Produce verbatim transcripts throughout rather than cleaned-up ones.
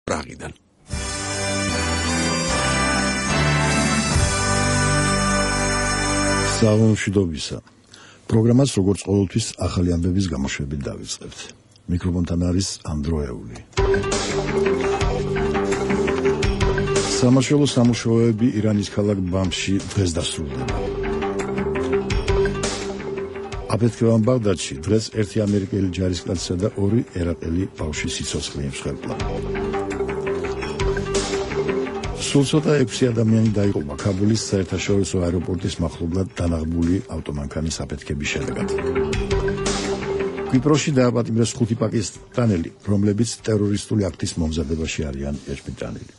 პრაღიდან. სამშვიდობისა. პროგრამას როგორც ყოველთვის ახალი ამბების გამოშვებით დავიწყებთ. მიკროფონთან არის ანდროეული. სამაშველო სამუშაოები ირანის ქალაქ ბამში დღეს დასრულდება. აფეთქებამ ბაღდადში დღეს ერთი ამერიკელი ჯარისკაცისა და ორი ერაყელი ბავშვის სიცოცხლე იმსხვერპლა. სულ ცოტა ექვსი ადამიანი დაიღუპა ქაბულის საერთაშორისო აეროპორტის მახლობლად დანაღმული ავტომანქანის აფეთქების შედეგად. კვიპროსში დააპატიმრეს ხუთი პაკისტანელი, რომლებიც ტერორისტული აქტის მომზადებაში არიან ეჭვმიტანილი.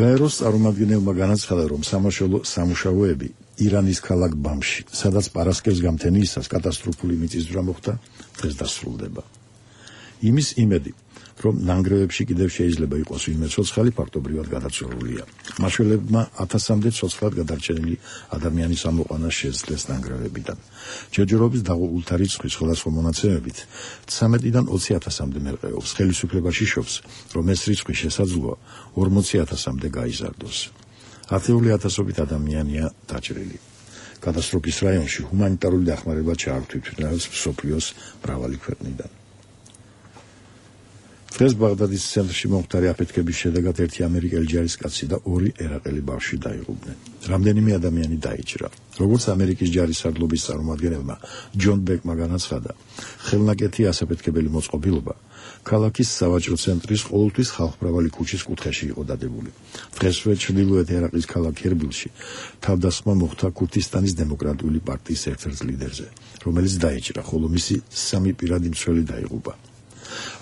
გაეროს წარმომადგენელმა განაცხადა, რომ სამაშველო სამუშაოები ირანის ქალაქ ბამში, სადაც პარასკევს გამთენიისას კატასტროფული მიწისძვრა მოხდა, დღეს დასრულდება. იმის იმედი, რომ ნანგრევებში კიდევ შეიძლება იყოს ვინმე ცოცხალი, ფაქტობრივად გადაცვლილია. მაშველებმა ათასამდე ცოცხლად გადარჩენილი ადამიანის ამოყვანა შეძლეს ნანგრევებიდან. ჯერჯერობით დაღუპულთა რიცხვი სხვადასხვა მონაცემებით ცამეტიდან ოცი ათასამდე მერყეობს. ხელისუფლებაში შობს, რომ ეს რიცხვი შესაძლოა ორმოცი ათასამდე გაიზარდოს. ათეული ათასობით ადამიანია დაჭრილი. კატასტროფის რაიონში ჰუმანიტარული დახმარება ჩაართვით მსოფლიოს მრავალი ქვეყნიდან. დღეს ბაღდადის ცენტრში მომხდარი აფეთქების შედეგად ერთი ამერიკელი ჯარისკაცი და ორი ერაყელი ბავშვი დაიღუპნენ. რამდენიმე ადამიანი დაიჭრა. როგორც ამერიკის ჯარისარდლობის წარმომადგენელმა ჯონ ბეკმა განაცხადა, ხელნაკეთი ასაფეთქებელი მოწყობილობა ქალაქის სავაჭრო ცენტრის ყოველთვის ხალხმრავალი ქუჩის კუთხეში იყო დადებული. დღესვე ჩრდილოეთ ერაყის ქალაქ ერბილში თავდასხმა მოხდა ქურთისტანის დემოკრატიული პარტიის ერთ-ერთ ლიდერზე, რომელიც დაიჭრა, ხოლო მისი სამი პირადი მცველი დაიღუპა.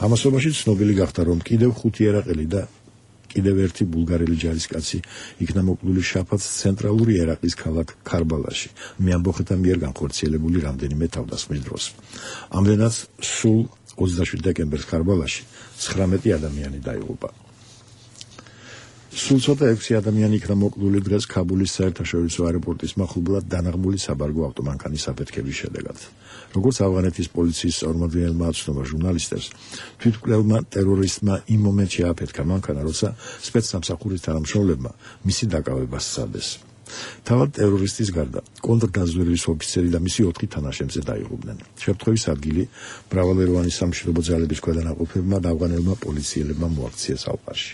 ამასობაში ცნობილი გახდა, რომ კიდევ ხუთი ერაყელი და კიდევ ერთი ბულგარელი ჯარისკაცი იქნა მოკლული შაფათს ცენტრალური ერაყის ქალაქ ქარბალაში, მეამბოხეთა მიერ განხორციელებული რამდენიმე თავდასხმის დროს. ამდენად სულ ოცდაშვიდი დეკემბერს ქარბალაში ცხრამეტი ადამიანი დაიღუპა. სულ ცოტა ექვსი ადამიანი იქნა მოკლული დღეს ქაბულის საერთაშორისო აეროპორტის მახლობლად დანაღმული საბარგო ავტომანქანის აფეთქების შედეგად. როგორც ავღანეთის პოლიციის წარმომადგენელმა აცნობა ჟურნალისტებს, თვითმკვლელმა ტერორისტმა იმ მომენტში აფეთქა მანქანა, როცა სპეცსამსახურის თანამშრომლებმა მისი დაკავება სცადეს. თავად ტერორისტის გარდა კონტრდაზვერვის ოფიცერი და მისი ოთხი თანაშემწე დაიღუპნენ. შემთხვევის ადგილი მრავალეროვანი სამშვიდობო ძალების ქვედანაყოფებმა და ავღანელმა პოლიციელებმა მოაქციეს ალყაში.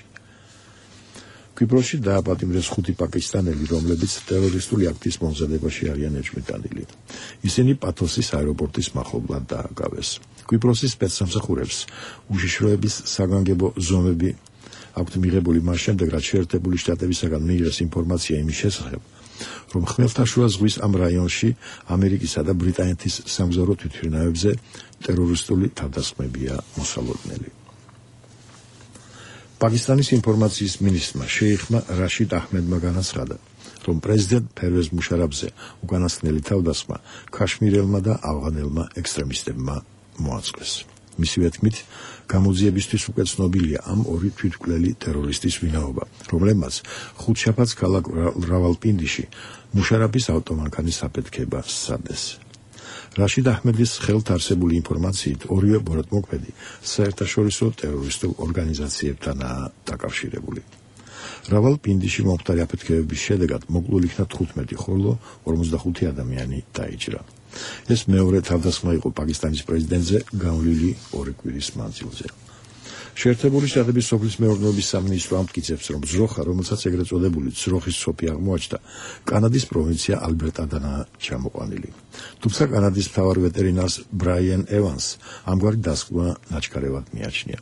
კვიპროსში დააპატიმრეს ხუთი პაკისტანელი, რომლებიც ტერორისტული აქტის მომზადებაში არიან ეჭვმიტანილი. ისინი პათოსის აეროპორტის მახლობლად დააკავეს. კვიპროსის სპეცსამსახურებს უშიშროების საგანგებო ზომები აქვთ მიღებული მას შემდეგ, რაც შეერთებული შტატებისაგან მიიღეს ინფორმაცია იმის შესახებ, რომ ხმელთაშუა ზღვის ამ რაიონში ამერიკისა და ბრიტანეთის სამგზავრო თვითმფრინავებზე ტერორისტული თავდასხმებია მოსალოდნელი. პაკისტანის ინფორმაციის მინისტრმა შეიხმა რაშიდ აჰმედმა განაცხადა, რომ პრეზიდენტ ფერვეზ მუშარაფზე უკანასკნელი თავდასხმა ქაშმირელმა და ავღანელმა ექსტრემისტებმა მოაწყვეს. მისივე თქმით, გამოძიებისთვის უკვე ცნობილია ამ ორი თვითმკვლელი ტერორისტის ვინაობა, რომლებმაც ხუთშაბათს ქალაქ რავალპინდიში მუშარაფის ავტომანქანის აფეთქება სცადეს. რაშიდ აჰმედის ხელთ არსებული ინფორმაციით ორივე ბოროტმოქმედი საერთაშორისო ტერორისტულ ორგანიზაციებთანაა დაკავშირებული. რავალპინდიში მომხდარი აფეთქებების შედეგად მოკლული იქნა თხუთმეტი, ხოლო ორმოცდახუთი ადამიანი დაიჭრა. ეს მეორე თავდასხმა იყო პაკისტანის პრეზიდენტზე გავლილი ორი კვირის მანძილზე. შეერთებული შტატების სოფლის მეურნეობის სამინისტრო ამტკიცებს, რომ ძროხა, რომელსაც ეგრეთ წოდებული ძროხის სოფი აღმოაჩნდა, კანადის პროვინცია ალბერტადანაა ჩამოყვანილი. თუმცა კანადის მთავარ ვეტერინარს ბრაიან ევანს ამგვარი დასკვნა ნაჩქარევად მიაჩნია.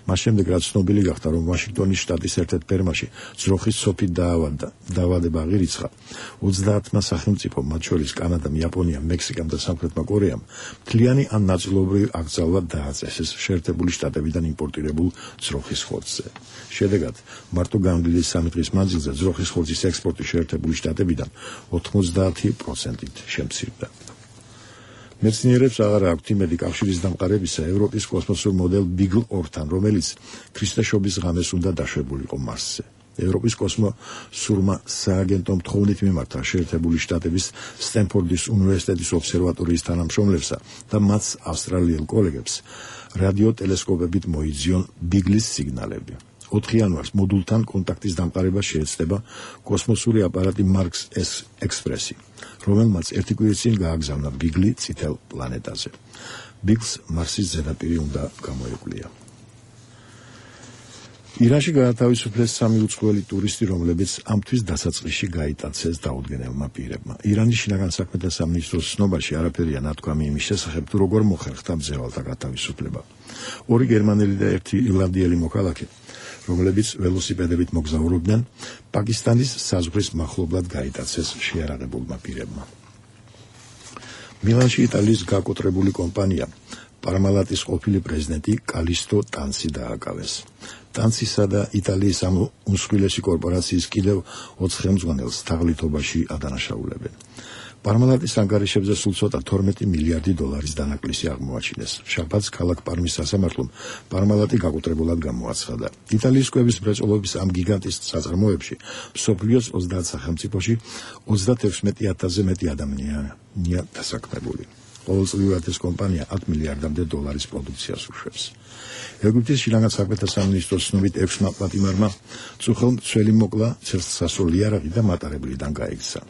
მას შემდეგ, რაც ცნობილი გახდა, რომ ვაშინგტონის შტატის ერთ-ერთ ფერმაში ძროხის სოფი დაავადდა, დაავადება აღირიცხა, ოცდაათმა სახელმწიფომ, მათ შორის კანადამ, იაპონიამ, მექსიკამ და სამხრეთმა კორეამ, მთლიანი ან ნაწილობრივ აკრძალვა დააწესეს შეერთებული შტატებიდან იმპორტირებულ ძროხის ხორცზე. შედეგად, მარტო განვლილი სამი დღის მანძილზე ძროხის ხორცის ექსპორტი შეერთებული შტატებიდან ოცდაათი პროცენტით შემცირდა. მეცნიერებს აღარ აქვთ იმედი კავშირის დამყარებისა ევროპის კოსმოსურ მოდელ ბიგლ ორთან, რომელიც ქრისტეშობის ღამეს უნდა დაშვებულიყო მარსზე. ევროპის კოსმოსურმა სააგენტომ თხოვნით მიმართა შეერთებული შტატების სტენფორდის უნივერსიტეტის ობსერვატორიის თანამშრომლებსა და მათ ავსტრალიელ კოლეგებს, რადიოტელესკოპებით მოიძიონ ბიგლის სიგნალები. ოთხი იანვარს მოდულთან კონტაქტის დამყარება შეეცდება კოსმოსური აპარატი მარკს ექსპრესი, რომელმაც ერთი კვირის წინ გააგზავნა ბიგლი წითელ პლანეტაზე. ბიგლს მარსის ზედაპირი უნდა გამოეკვლია. ირანში გაათავისუფლეს სამი უცხოელი ტურისტი, რომლებიც ამ თვის დასაწყისში გაიტაცეს დაუდგენელმა პირებმა. ირანის შინაგან საქმეთა სამინისტროს ცნობაში არაფერია ნათქვამი იმის შესახებ, თუ როგორ მოხერხდა მძევალთა გათავისუფლება. ორი გერმანელი და ერთი ირლანდიელი მოქალაქე, რომლებიც ველოსიპედებით მოგზაურობდნენ, პაკისტანის საზღვრის მახლობლად გაიტაცეს შეარაღებულმა პირებმა. მილანში იტალიის გაკოტრებული კომპანია პარმალატის ყოფილი პრეზიდენტი კალისტო ტანცი დააკავეს. ტანცისა და იტალიის ამ უმსხვილესი კორპორაციის კიდევ ოთხ ხელმძღვანელს თაღლითობაში ადანაშაულებენ. პარმალატის ანგარიშებზე სულ ცოტა თორმეტი მილიარდი დოლარის დანაკლისი აღმოაჩინეს. შაბათს ქალაქ პარმის სასამართლომ პარმალატი გაკოტრებულად გამოაცხადა. იტალიის კვების მრეწველობის ამ გიგანტის საწარმოებში მსოფლიოს ოცდაათ სახელმწიფოში ოცდათექვსმეტი ათასზე მეტი ადამიანია დასაქმებული. ყოველწლიურად ეს კომპანია ათ მილიარდამდე დოლარის პროდუქციას უშვებს. ეგვიპტის შინაგან საქმეთა სამინისტროს ცნობით ექვსმა პატიმარმა წუხელ მცველი მოკლა, ცერცხსასროლი იარაღი და მატარებლიდან გაიქცა.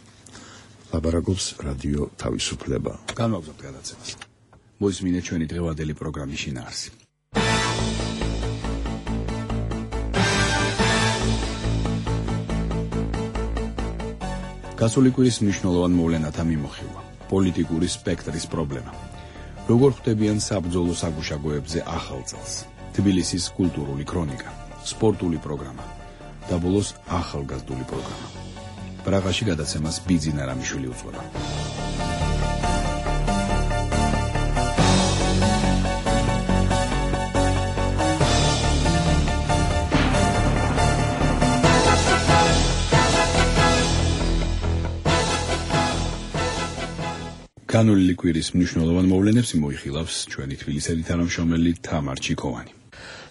ლაბარაკობს რადიო თავისუფლება. განვაგრძობთ გადაცემას. მოისმინეთ ჩვენი დღევანდელი პროგრამის შინაარსი. გასული კვირის მნიშვნელოვან მოვლენათა მიმოხილვა. პოლიტიკური სპექტრის პრობლემა. როგორ ხვდებიან საბრძოლო საგუშაგოებზე ახალ წელს? თბილისის კულტურული ქრონიკა, სპორტული პროგრამა და ბოლოს ახალგაზრდული პროგრამა. პრაღაში გადაცემას ბიძინა რამიშვილი უძღვება. განვლილი კვირის მნიშვნელოვან მოვლენებს მოიხილავს ჩვენი თბილისელი თანამშრომელი თამარ ჩიკოვანი.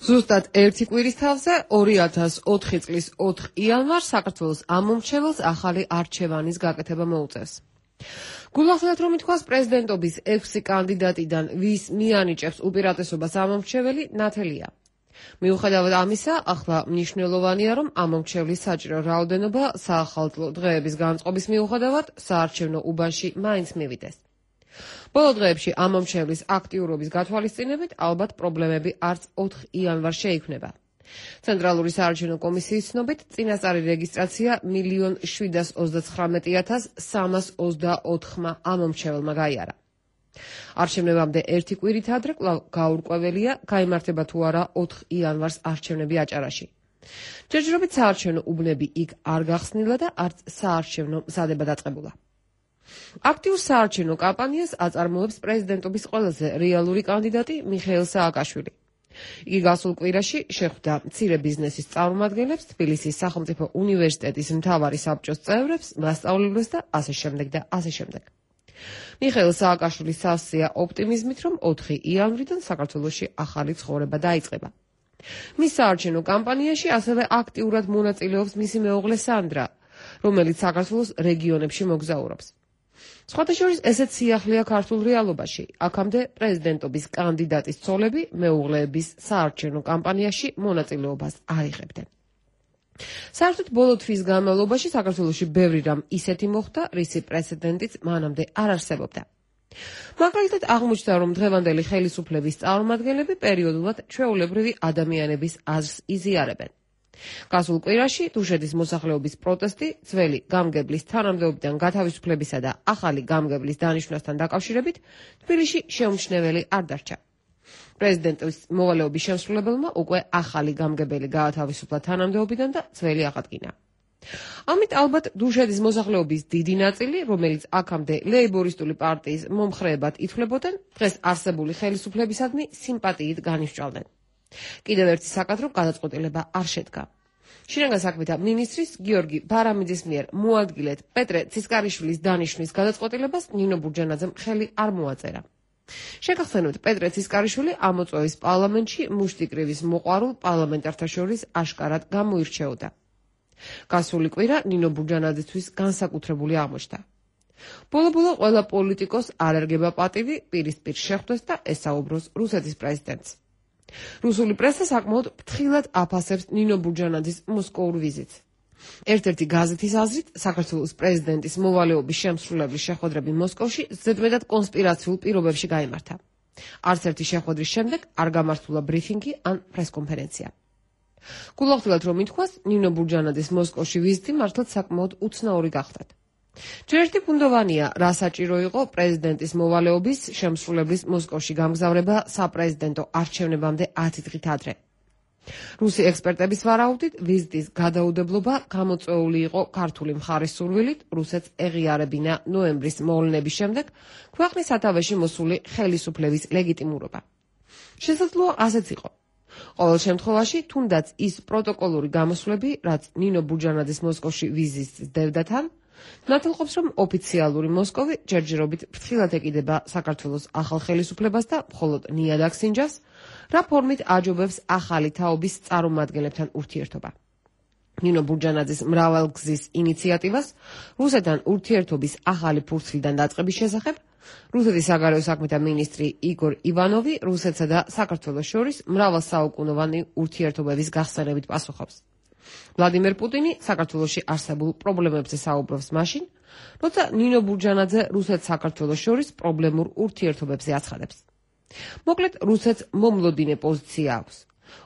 ზუსტად ერთი კვირის თავზე ორი ათას ოთხი წლის ოთხ იანვარს საქართველოს ამომრჩეველს ახალი არჩევანის გაკეთება მოუწევს. გულახსნათ, რომ ითქვას პრეზიდენტობის ექვსი კანდიდატიდან ვის მიანიჭებს უპირატესობას ამომრჩეველი ნათელია. მიუხედავად ამისა, ახლა მნიშვნელოვანია, რომ ამომრჩევლის საჭირო რაოდენობა საახალწლო დღეების განწყობის მიუხედავად საარჩევნო უბანში მაინც მივიდეს. ბოლო დღეებში ამომრჩევლის აქტიურობის გათვალისწინებით ალბათ პრობლემები არც ოთხ იანვარს შეიქმნება. ცენტრალური საარჩევნო კომისიის ცნობით, წინასწარი რეგისტრაცია მილიონ შვიდას ოცდაცხრამეტი ათას სამას ოცდაოთხმა ამომრჩეველმა გაიარა. არჩევნებამდე ერთი კვირით ადრე კვლავ გაურკვეველია, გაიმართება თუ არა ოთხ იანვარს არჩევნები აჭარაში. ჯერჯერობით საარჩევნო უბნები იქ არ გახსნილა და არც საარჩევნო მზადება დაწყებულა. აქტიურ საარჩევნო კამპანიას აწარმოებს პრეზიდენტობის ყველაზე რეალური კანდიდატი მიხეილ სააკაშვილი. იგი გასულ კვირაში შეხვდა მცირე ბიზნესის წარმომადგენლებს, თბილისის სახელმწიფო უნივერსიტეტის მთავარი საბჭოს წევრებს, მასწავლებლებს და ასე შემდეგ და ასე შემდეგ. მიხეილ სააკაშვილის სავსეა ოპტიმიზმით, რომ ოთხი იანვრიდან საქართველოში ახალი ცხოვრება დაიწყება. მის საარჩევნო კამპანიაში ასევე აქტიურად მონაწილეობს მისი მეუღლე სანდრა, რომელიც საქართველოს რეგიონებში მოგზაურობს. სხვათა შორის ესეც სიახლეა ქართულ რეალობაში. აქამდე პრეზიდენტობის კანდიდატის ცოლები მეუღლეების საარჩევნო კამპანიაში მონაწილეობას არ იღებდნენ. საერთოდ ბოლო თვის განმავლობაში საქართველოში ბევრი რამ ისეთი მოხდა, რისი პრეცედენტიც მანამდე არ არსებობდა. მაგალითად აღმოჩნდა, რომ დღევანდელი ხელისუფლების წარმომადგენლები პერიოდულად ჩვეულებრივი ადამიანების აზრს იზიარებენ. გასულ კვირაში დუშეთის მოსახლეობის პროტესტი ძველი გამგებლის თანამდებობიდან გათავისუფლებისა და ახალი გამგებლის დანიშვნასთან დაკავშირებით თბილისში შეუმჩნეველი არ დარჩა. პრეზიდენტის მოვალეობის შემსრულებელმა უკვე ახალი გამგებელი გაათავისუფლა თანამდებობიდან და ძველი აღადგინა. ამით ალბათ დუშეთის მოსახლეობის დიდი ნაწილი, რომელიც აქამდე ლეიბორისტული პარტიის მომხრეებად ითვლებოდნენ, დღეს არსებული ხელისუფლებისადმი სიმპათიით განისჭვალდნენ. კიდევ ერთი საკადრო გადაწყვეტილება არ შედგა. შინაგან საქმეთა მინისტრის გიორგი ბარამიძის მიერ მოადგილეთ პეტრე ცისკარიშვილის დანიშვნის გადაწყვეტილებას ნინო ბურჯანაძემ ხელი არ მოაწერა. შეგახსენებთ, პეტრე ცისკარიშვილი ამოწვევის პარლამენტში მუშტიკრივის მოყვარულ პარლამენტართა შორის აშკარად გამოირჩეოდა. გასული კვირა ნინო ბურჯანაძისთვის განსაკუთრებული აღმოჩნდა. ბოლო-ბოლო ყველა პოლიტიკოს არ ერგება პატივი პირისპირ შეხვდეს და ესაუბროს რუსეთის პრეზიდენტს. რუსული პრესა საკმაოდ ფრთხილად აფასებს ნინო ბურჯანაძის მოსკოურ ვიზიტს. ერთ-ერთი გაზეთის აზრით, საქართველოს პრეზიდენტის მოვალეობის შემსრულებლის შეხვედრები მოსკოვში ზედმეტად კონსპირაციულ პირობებში გაიმართა. არც ერთი შეხვედრის შემდეგ არ გამართულა ბრიფინგი ან პრესკონფერენცია. გულახდილად რომ ითქვას, ნინო ბურჯანაძის მოსკოვში ვიზიტი მართლაც საკმაოდ უცნაური გახდათ. ჯერ ერთი ფუნდოვანია, რა საჭირო იყო პრეზიდენტის მოვალეობის შემსრულებლის მოსკოვში გამგზავრება საპრეზიდენტო არჩევნებამდე ათი დღით ადრე. რუსი ექსპერტების ვარაუდით, ვიზიტის გადაუდებლობა გამოწვეული იყო ქართული მხარის სურვილით რუსეთს ეღიარებინა ნოემბრის მოვლენების შემდეგ ქვეყნის სათავეში მოსული ხელისუფლების ლეგიტიმურობა. შესაძლოა ასეც იყო. ყოველ შემთხვევაში, თუნდაც ის პროტოკოლური გამოსვლები, რაც ნინო ბურჯანაძის მოსკოვში ვიზიტს დევდათან, ნათელყოფს, რომ ოფიციალური მოსკოვი ჯერჯერობით ფრთხილად ეკიდება საქართველოს ახალ ხელისუფლებას და მხოლოდ ნიადაგს ინჯას, რა ფორმით აჯობებს ახალი თაობის წარმომადგენლებთან ურთიერთობა. ნინო ბურჯანაძის მრავალგზის ინიციატივას რუსეთთან ურთიერთობის ახალი ფურცლიდან დაწყების შესახებ რუსეთის საგარეო საქმეთა მინისტრი იგორ ივანოვი რუსეთსა და საქართველოს შორის მრავალსაუკუნოვანი ურთიერთობების გახსენებით პასუხობს. ვლადიმერ პუტინი საქართველოში არსებულ პრობლემებზე საუბრობს მაშინ, როცა ნინო ბურჯანაძე რუსეთს საქართველოს შორის პრობლემურ ურთიერთობებზე აცხადებს. მოკლედ, რუსეთს მომლოდინე პოზიცია აქვს.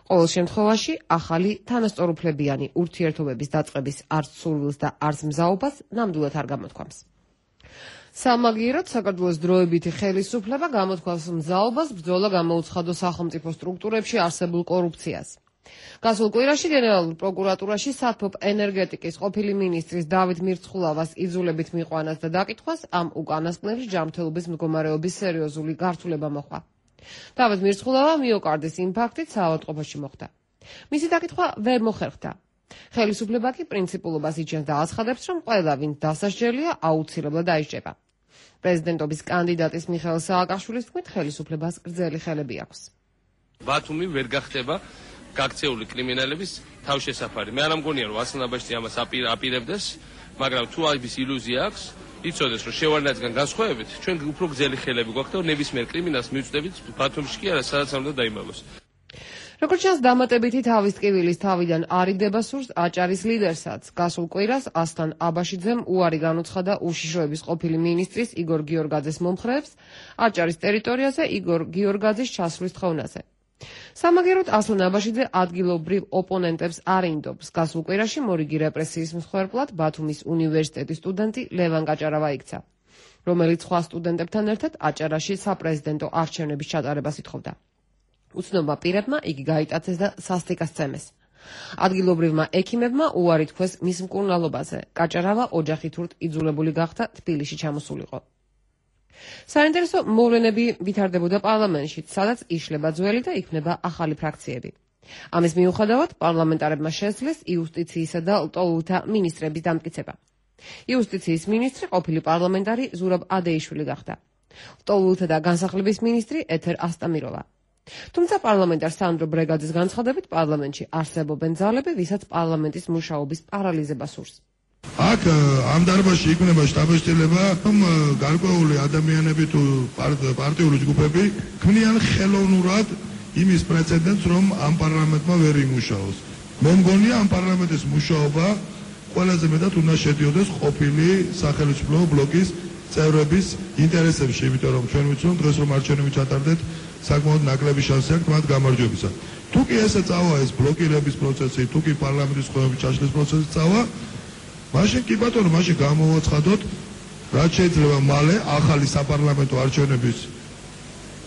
ყოველ შემთხვევაში, ახალი თანასწორუფლებიანი ურთიერთობების დაწყების არც სურვილს და არც მზაობას ნამდვილად არ გამოთქვამს. სამაგიეროდ, საქართველოს დროებითი ხელისუფლება გამოთქვამს მზაობას ბრძოლა გამოუცხადოს სახელმწიფო სტრუქტურებში არსებულ კორუფციას. გასულ კვირაში გენერალურ პროკურატურაში საათბობ ენერგეტიკის ყოფილი მინისტრის დავით მირცხულავას იძულებით მიყვანას და დაკითხვას ამ უკანასკნელი ჯანმრთელობის მდგომარეობის სერიოზული გართულება მოხდა. დავით მირცხულავა მიოკარდის ინფარქტით საავადმყოფოში მოხვდა. მისი დაკითხვა ვერ მოხერხდა. ხელისუფლება კი პრინციპულობას იჩენს და აცხადებს, რომ ყველა, ვინც დასასჯელია, აუცილებლად დაიჭრება. პრეზიდენტობის კანდიდატის მიხეილ სააკაშვილის თქმით, ხელისუფლებას გრძელი ხელები აქვს. ბათუმი ვერ გახდება გაქცეული კრიმინალების თავშესაფარი. მე არ ამგონია, რომ ასლანაბაშტი ამას აპირებდეს, მაგრამ თუ ამის ილუზია აქვს, იცოდეს, რომ შევარდნაძგან განსხვავებით, ჩვენ უფრო გრძელი ხელები გვაქვს და ნებისმიერ კრიმინალს მივწდებით ბათუმში კი არა, სადაც უნდა დაიმალოს. როგორც ჩანს, დამატებითი თავის ტკივილის თავიდან არიდება სურს აჭარის ლიდერსაც. გასულ კვირას ასლან აბაშიძემ უარი განუცხადა უშიშროების ყოფილი მინისტრის იგორ გიორგაძეს მომხრეებს აჭარის ტერიტორიაზე იგორ გიორგაძის ჩასვლის თხოვნაზე. სამაგიეროდ ასლან აბაშიძე ადგილობრივ ოპონენტებს არ ინდობს. გასულ კვირაში მორიგი რეპრესიის მსხვერპლად ბათუმის უნივერსიტეტის სტუდენტი ლევან გაჭარავა იქცა, რომელიც სხვა სტუდენტებთან ერთად აჭარაში საპრეზიდენტო არჩევნების ჩატარებას ითხოვდა. უცნობმა პირებმა იგი გაიტაცეს და სასტიკას წემეს. ადგილობრივმა ექიმებმა უარი თქვეს მის მკურნალობაზე. გაჭარავა ოჯახით ურთ იძულებული გახდა თბილისში ჩამოსულიყო. საინტერესო მოვლენები ვითარდებოდა პარლამენტში, სადაც იშლება ძველი და იქმნება ახალი ფრაქციები. ამის მიუხედავად, პარლამენტარებმა შესძლეს იუსტიციისა და ლტოლვილთა მინისტრების დამტკიცება. იუსტიციის მინისტრი ყოფილი პარლამენტარი ზურაბ ადეიშვილი გახდა. ლტოლვილთა და განსახლების მინისტრი ეთერ ასტამიროვა. თუმცა პარლამენტარ სანდრო ბრეგაძის განცხადებით, პარლამენტში არსებობენ ძალები, ვისაც პარლამენტის მუშაობის პარალიზება სურს. აქ ამ დარბაზში იქნება შტაბ-სიტელება, რომ გარკვეული ადამიანები თუ პარტიული ჯგუფები ქმნიან ხელოვნურად იმის პრეცედენტს, რომ ამ პარლამენტმა ვერ იმუშაოს. მე მგონია, ამ პარლამენტის მუშაობა ყველაზე მეტად უნდა შედიოდეს ყოფილი სახელმწიფო ბლოკის წევრების ინტერესებში, იმიტომ რომ ჩვენ ვიცით, რომ დღეს რომ არჩევნები ჩატარდეთ, საკმაოდ ნაკლები შანსი აქვს მათ გამარჯვებისა. თუ კი ესე წავა ეს ბლოკირების პროცესი, თუ კი პარლამენტის ხელმძღვანელობის ჩაშლის პროცესი წავა, მაშინ კი ბატონო, მაშინ გამოვაცხადოთ, რაც შეიძლება მალე ახალი საპარლამენტო არჩევნების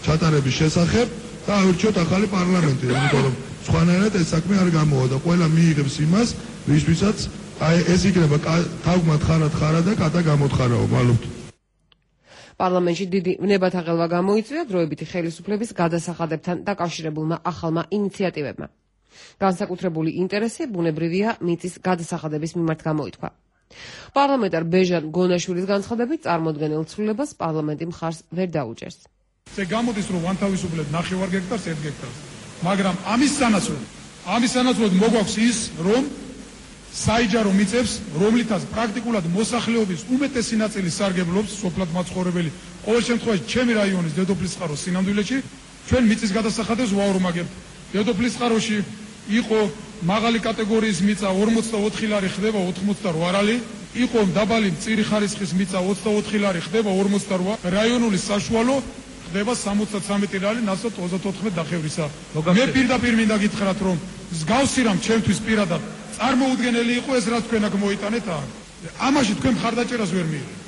ჩატარების შესახებ და ავირჩიოთ ახალი პარლამენტი, იმიტომ რომ სხვანაირად ეს საქმე არ გამოვა და ყველა მიიღებს იმას, ვისთვისაც აი ეს იქნება თავგმად ხარად ხარა და კატა გამოთხარაო, მალობთ. პარლამენტში დიდი ვნებათა ღელვა გამოიწვია დროებითი ხელისუფლების გადასახადებთან დაკავშირებულმა ახალმა ინიციატივებმა. განსაკუთრებული ინტერესი ბუნებრივია მიწის გადასახადების მიმართ გამოითქვა. პარლამენტარ ბეჟან გონაშვილის განცხადებით, წარმოდგენილ ცვლილებას პარლამენტი მხარს ვერ დაუჭერს. ეს გამოდის, რომ ვანთავისუფლებთ ნახევარ გექტარს, ერთ გექტარს, მაგრამ ამის სანაცვლოდ, ამის სანაცვლოდ მოგვაქვს ის, რომ საიჯარო მიწებს, რომლითაც პრაქტიკულად მოსახლეობის უმეტესი ნაწილი სარგებლობს, სოფლად მაცხოვრებელი. ყოველ შემთხვევაში, ჩემი რაიონის დედოფლის წყაროს სინამდვილეში ჩვენ მიწის გადასახადებს ვაორმაგებთ. დედოფლის წყაროში იყო მაღალი კატეგორიის მიწა ორმოცდაოთხი ლარი ხდება ოთხმოცდარვა ლარი, იყო დაბალი მწირი ხარისხის მიწა ოცდაოთხი ლარი ხდება ორმოცდარვა, რაიონული საშუალო ხდება სამოცდათრამეტი ლარი, ნაცვლად ოცდათოთხმეტ დახევრისა. მე პირდაპირ მინდა გითხრათ, რომ მსგავსი რამ ჩემთვის პირადად წარმოუდგენელი იყო ეს, რაც თქვენ აქ მოიტანეთ, ამაში თქვენ მხარდაჭერას ვერ მიიღეთ.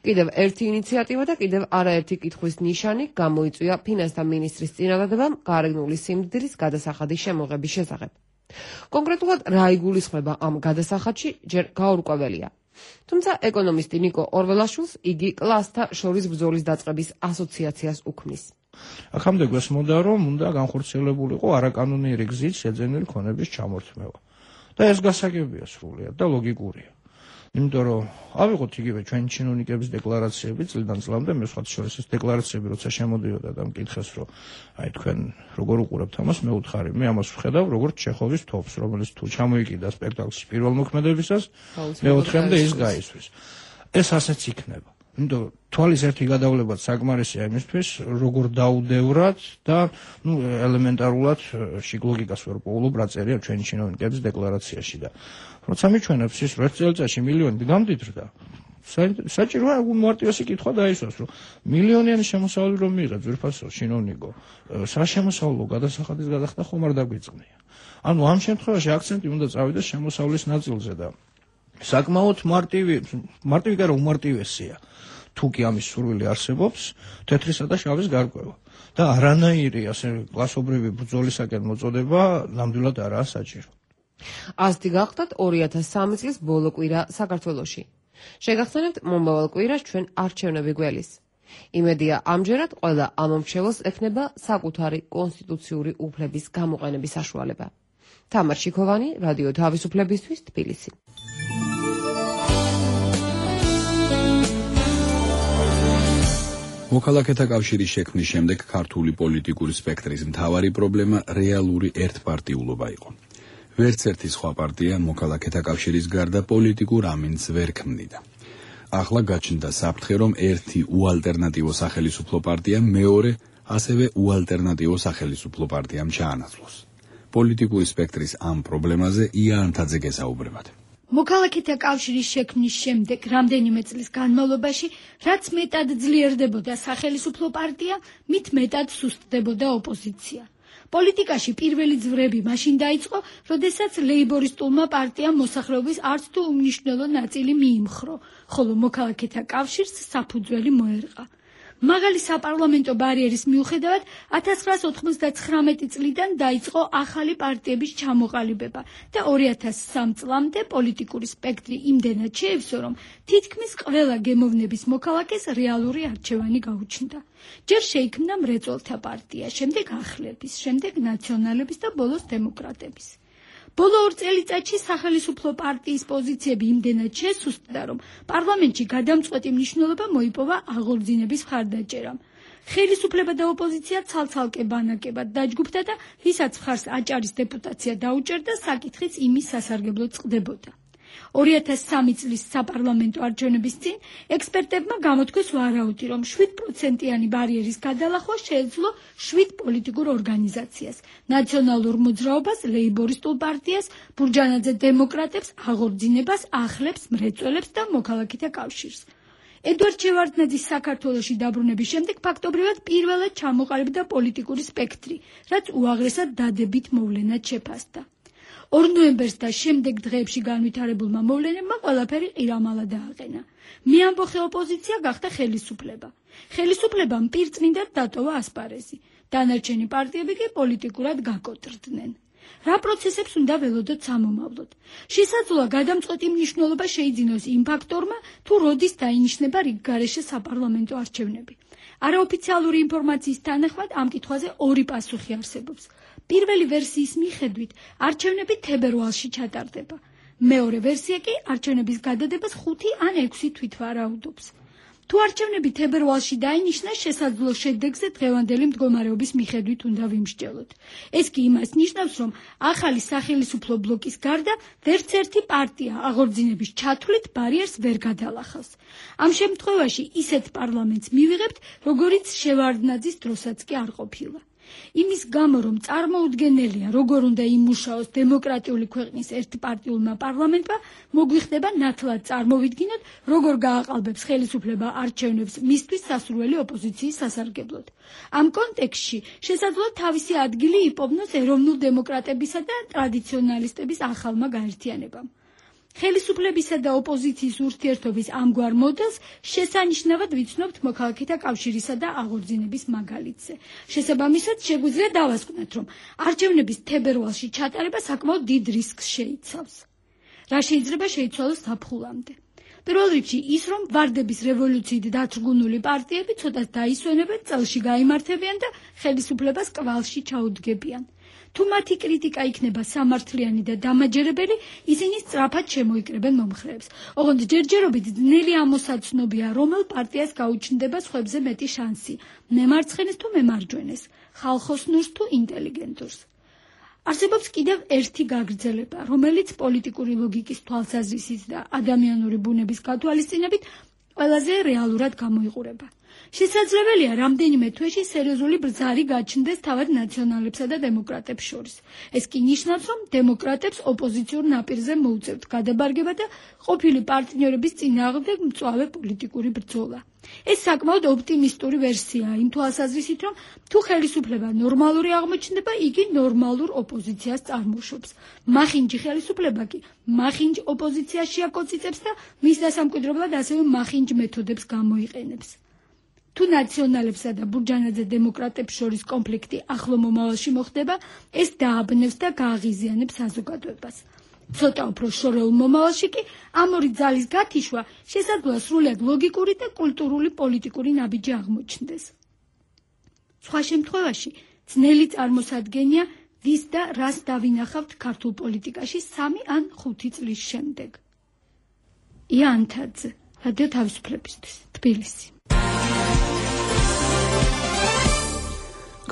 კიდევ ერთი ინიციატივა და კიდევ არაერთი კითხვის ნიშანი გამოიწვია ფინანსთა მინისტრის წინადადებამ გარეგნული სიმდიდრის გადასახადის შემოღების შესახებ. კონკრეტულად რა იგულისხმება ამ გადასახადში ჯერ გაურკვეველია. თუმცა ეკონომისტი ნიკო ორველაშვილს იგი კლასთა შორის ბრძოლის დაწყების ასოციაციას უქმნის. აქამდე გვესმოდა, რომ უნდა განხორციელებულიყო არაკანონიერი გზით შეძენილი ქონების ჩამორთმევა. და ეს გასაგებია სრულიად და ლოგიკურია. იმიტომ რომ ავიღოთ იგივე ჩვენი ჩინოვნიკების დეკლარაციები წლიდან წლამდე, მე სხვათა შორის ეს დეკლარაციები როცა შემოდიოდა და მკითხეს, რომ აი თქვენ როგორ უყურებთ ამას, მე უთხარი, მე ამას ვხედავ როგორც ჩეხოვის თოფს, რომელიც თუ ჩამოიკიდა სპექტაკლში პირველ მოქმედებისას, მეოთხემდე ის გაისვრის. ეს ასეც იქნება. იმიტომ თვალის ერთი გადავლებაც საკმარისია იმისთვის, როგორ დაუდევრად და ნუ ელემენტარულად ლოგიკას ვერ პოულობ რა წერია ჩვენი ჩინოვნიკების დეკლარაციაში და როცა მიჩვენებს ის რომ ერთ წელიწადში მილიონი გამდიდრდა, საჭიროა უმარტივესი კითხვა დაისვას, რომ მილიონიანი შემოსავალი რომ მიიღეთ ძვირფასო ჩინოვნიკო, რა შემოსავლო გადასახადის გადახდა ხომ არ დაგვიწყნია. ანუ ამ შემთხვევაში აქცენტი უნდა წავიდეს შემოსავლის ნაწილზე და საკმაოდ მარტივი, მარტივი კი არა უმარტივესია. თუ კი ამის სურვილი არსებობს, თეთრისა და შავის გარკვევა. და არანაირი ასე კლასობრივი ბრძოლისაკენ მოწოდება ნამდვილად არაა საჭირო. ასეთი გახდათ ორი ათას სამი წლის ბოლო კვირა საქართველოში. შეგახსენებთ მომავალ კვირას ჩვენ არჩევნები გველის. იმედია ამჯერად ყველა ამომრჩეველს ექნება საკუთარი კონსტიტუციური უფლების გამოყენების საშუალება. თამარ შიქოვანი, რადიო თავისუფლებისთვის, თბილისი. მოქალაქეთა კავშირის შექმნის შემდეგ ქართული პოლიტიკური სპექტრის მთავარი პრობლემა რეალური ერთპარტიულობა იყო. ვერც ერთი სხვა პარტია მოქალაქეთა კავშირის გარდა პოლიტიკურ ამინდს ვერ ქმნიდა. ახლა გაჩნდა საფრთხე, რომ ერთი უალტერნატივო სახელისუფლო პარტია მეორე ასევე უალტერნატივო სახელისუფლო პარტიამ ჩაანაცვლოს. პოლიტიკური სპექტრის ამ პრობლემაზე ია ანთაძე გესაუბრებათ. მოქალაქეთა კავშირის შექმნის შემდეგ რამდენიმე წლის განმავლობაში, რაც მეტად ძლიერდებოდა სახელისუფლო პარტია, მით მეტად სუსტდებოდა ოპოზიცია. პოლიტიკაში პირველი ძვრები მაშინ დაიწყო, როდესაც ლეიბორისტულმა პარტიამ მოსახლეობის არც თუ უმნიშვნელო ნაწილი მიიმხრო, ხოლო მოქალაქეთა კავშირს საფუძველი მოერყა. მაღალი საპარლამენტო ბარიერის მიუხედავად, ათას ცხრაას ოთხმოცდათხრამეტი წლიდან დაიწყო ახალი პარტიების ჩამოყალიბება და ორი ათას სამი წლამდე პოლიტიკური სპექტრი იმდენად შეივსო, რომ თითქმის ყველა გემოვნების მოქალაქეს რეალური არჩევანი გაუჩნდა. ჯერ შეიქმნა მრეწველთა პარტია, შემდეგ ახლების, შემდეგ ნაციონალების და ბოლოს დემოკრატების. ბოლო ორ წელიწადში სახელისუფლო პარტიის პოზიციები იმდენად შესუსტდა, რომ პარლამენტში გადამწყვეტი მნიშვნელობა მოიპოვა აღორძინების მხარდაჭერამ. ხელისუფლება და ოპოზიცია ცალ-ცალკე ბანაკებად დაჯგუფდა და ვისაც მხარს აჭარის დეპუტაცია დაუჭერდა, საკითხიც იმის სასარგებლოდ წყდებოდა. ორი ათას სამი წლის საპარლამენტო არჩევნების წინ ექსპერტებმა გამოთქვეს ვარაუდი, რომ შვიდ პროცენტიანი ბარიერის გადალახვა შეეძლო შვიდ პოლიტიკურ ორგანიზაციას, ნაციონალურ მოძრაობას, ლეიბორისტულ პარტიას, ბურჯანაძე დემოკრატებს, აღორძინებას, ახლებს, მრეწველებს და მოქალაქეთა კავშირს. ედვარდ შევარდნაძის საქართველოში დაბრუნების შემდეგ ფაქტობრივად პირველად ჩამოყალიბდა პოლიტიკური სპექტრი, რაც უაღრესად დადებით მოვლენად შეფასდა. ორ ნოემბერს და შემდეგ დღეებში განვითარებულმა მოვლენებმა ყველაფერი ყირამალა დააყენა. მეამბოხე ოპოზიცია გახდა ხელისუფლება. ხელისუფლებამ პირწმინდად დატოვა ასპარეზი. დანარჩენი პარტიები კი პოლიტიკურად გაკოტრდნენ. რა პროცესებს უნდა ველოდოთ სამომავლოდ? შესაძლოა გადამწყვეტი მნიშვნელობა შეიძინოს იმ ფაქტორმა, თუ როდის დაინიშნება რიგგარეშე საპარლამენტო არჩევნები. არაოფიციალური ინფორმაციის თანახმად ამ კითხვაზე ორი პასუხი არსებობს. პირველი ვერსიის მიხედვით არჩევნები თებერვალში ჩატარდება. მეორე ვერსია კი არჩევნების გადადებას ხუთი ან ექვსი თვით ვარაუდობს. თუ არჩევნები თებერვალში დაინიშნა, შესაძლო შედეგზე დღევანდელი მდგომარეობის მიხედვით უნდა ვიმსჯელოთ. ეს კი იმას ნიშნავს, რომ ახალი სახელმწიფო ბლოკის გარდა ვერც ერთი პარტია აღორძინების ჩათვლით ბარიერს ვერ გადალახავს. ამ შემთხვევაში ისეთ პარლამენტს მივიღებთ, როგორიც შევარდნაძის დროსაც კი არ ყოფილა. იმის გამო, რომ წარმოუდგენელია, როგორ უნდა იმუშაოს დემოკრატიული ქვეყნის ერთპარტიულმა პარლამენტმა, მოგვიხდება ნათლად წარმოვიდგინოთ, როგორ გააყალბებს ხელისუფლება არჩევნებს მისთვის სასურველი ოპოზიციის სასარგებლოდ. ამ კონტექსტში შესაძლოა თავისი ადგილი იპოვნოს ეროვნულ დემოკრატებისა და ტრადიციონალისტების ახალმა გაერთიანებამ. ხელისუფლებისა და ოპოზიციის ურთიერთობის ამგვარ მოდელს შესანიშნავად ვიცნობთ მოქალაქეთა კავშირისა და აღორძინების მაგალითზე. შესაბამისად, შეგვიძლია დავასკვნათ, რომ არჩევნების თებერვალში ჩატარება საკმაოდ დიდ რისკს შეიცავს. რა შეიძლება შეიცვალოს ზაფხულამდე? პირველ რიგში ის, რომ ვარდების რევოლუციით დათრგუნული პარტიები ცოტას დაისვენებენ, წელში გაიმართებიან და ხელისუფლებას კვალში ჩაუდგებიან. თუ მათი კრიტიკა იქნება სამართლიანი და დამაჯერებელი, ისინი სწრაფად შემოიკრებენ მომხრეებს. ოღონდ ჯერჯერობით ძნელი ამოსაცნობია, რომელ პარტიას გაუჩნდება სხვებზე მეტი შანსი, მემარცხენეს თუ მემარჯვენეს, ხალხოსნურს თუ ინტელიგენტურს. არსებობს კიდევ ერთი გაგრძელება, რომელიც პოლიტიკური ლოგიკის თვალსაზრისით და ადამიანური ბუნების გათვალისწინებით ყველაზე რეალურად გამოიყურება. შესაძლებელია, რამდენიმე თვეში სერიოზული ბრძალი გაჩნდეს თავად ნაციონალებსა და დემოკრატებს შორის. ეს კი ნიშნავს, რომ დემოკრატებს ოპოზიციურ ნაპირზე მოუწევთ გადაბარგება და ყოფილი პარტნიორების წინააღმდეგ მწვავე პოლიტიკური ბრძოლა. ეს საკმაოდ ოპტიმისტური ვერსიაა იმ თვალსაზრისით, რომ თუ ხელისუფლება ნორმალური აღმოჩნდება, იგი ნორმალურ ოპოზიციას წარმოშობს. მახინჯი ხელისუფლება კი მახინჯ ოპოზიციაში აკოწიწებს და მის დასამკვიდრებლად ასევე მახინჯ მეთოდებს გამოიყენებს. თუ ნაციონალებსა და ბურჯანაძე დემოკრატებს შორის კონფლიქტი ახლო მომავალში მოხდება, ეს დააბნევს და გააღიზიანებს საზოგადოებას. ცოტა უფრო შორეულ მომავალში კი ამ ორი ძალის გათიშვა შესაძლოა სრულად ლოგიკური და კულტურული პოლიტიკური ნაბიჯი აღმოჩნდეს. სხვა შემთხვევაში ძნელი წარმოსადგენია, ვის და რას დავინახავთ ქართულ პოლიტიკაში სამი ან ხუთი წლის შემდეგ. ია ანთაძე, რადიო თავისუფლებისთვის, თბილისი.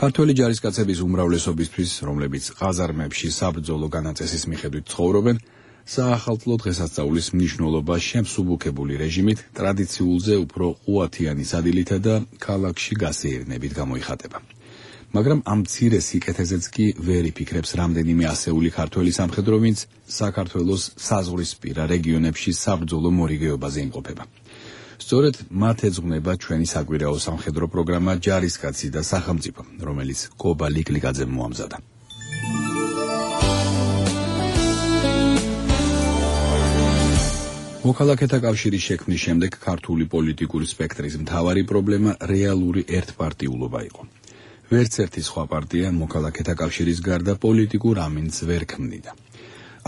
ქართველი ჯარისკაცების უმრავლესობისთვის, რომლებიც ყაზარმებში საბრძოლო განაწესის მიხედვით ცხოვრობენ, საახალწლო დღესასწაულის მნიშვნელობა შემსუბუქებული რეჟიმით ტრადიციულზე უფრო ყუათიანი სადილითა და ქალაქში გასეირნებით გამოიხატება. მაგრამ ამ მცირე სიკეთეზეც კი ვერ იფიქრებს რამდენიმე ასეული ქართველი სამხედრო, ვინც საქართველოს საზღვრისპირა რეგიონებში საბრძოლო მორიგეობაზე იმყოფება. სწორედ მათ ეძღვნება ჩვენი საკვირაო სამხედრო პროგრამა ჯარისკაცი და სახელმწიფო, რომელიც კობა ლიკლიკაძემ მოამზადა. მოქალაქეთა კავშირის შექმნის შემდეგ ქართული პოლიტიკური სპექტრის მთავარი პრობლემა რეალური ერთპარტიულობა იყო. ვერც ერთი სხვა პარტია მოქალაქეთა კავშირის გარდა პოლიტიკურ ამინდს ვერ ქმნიდა.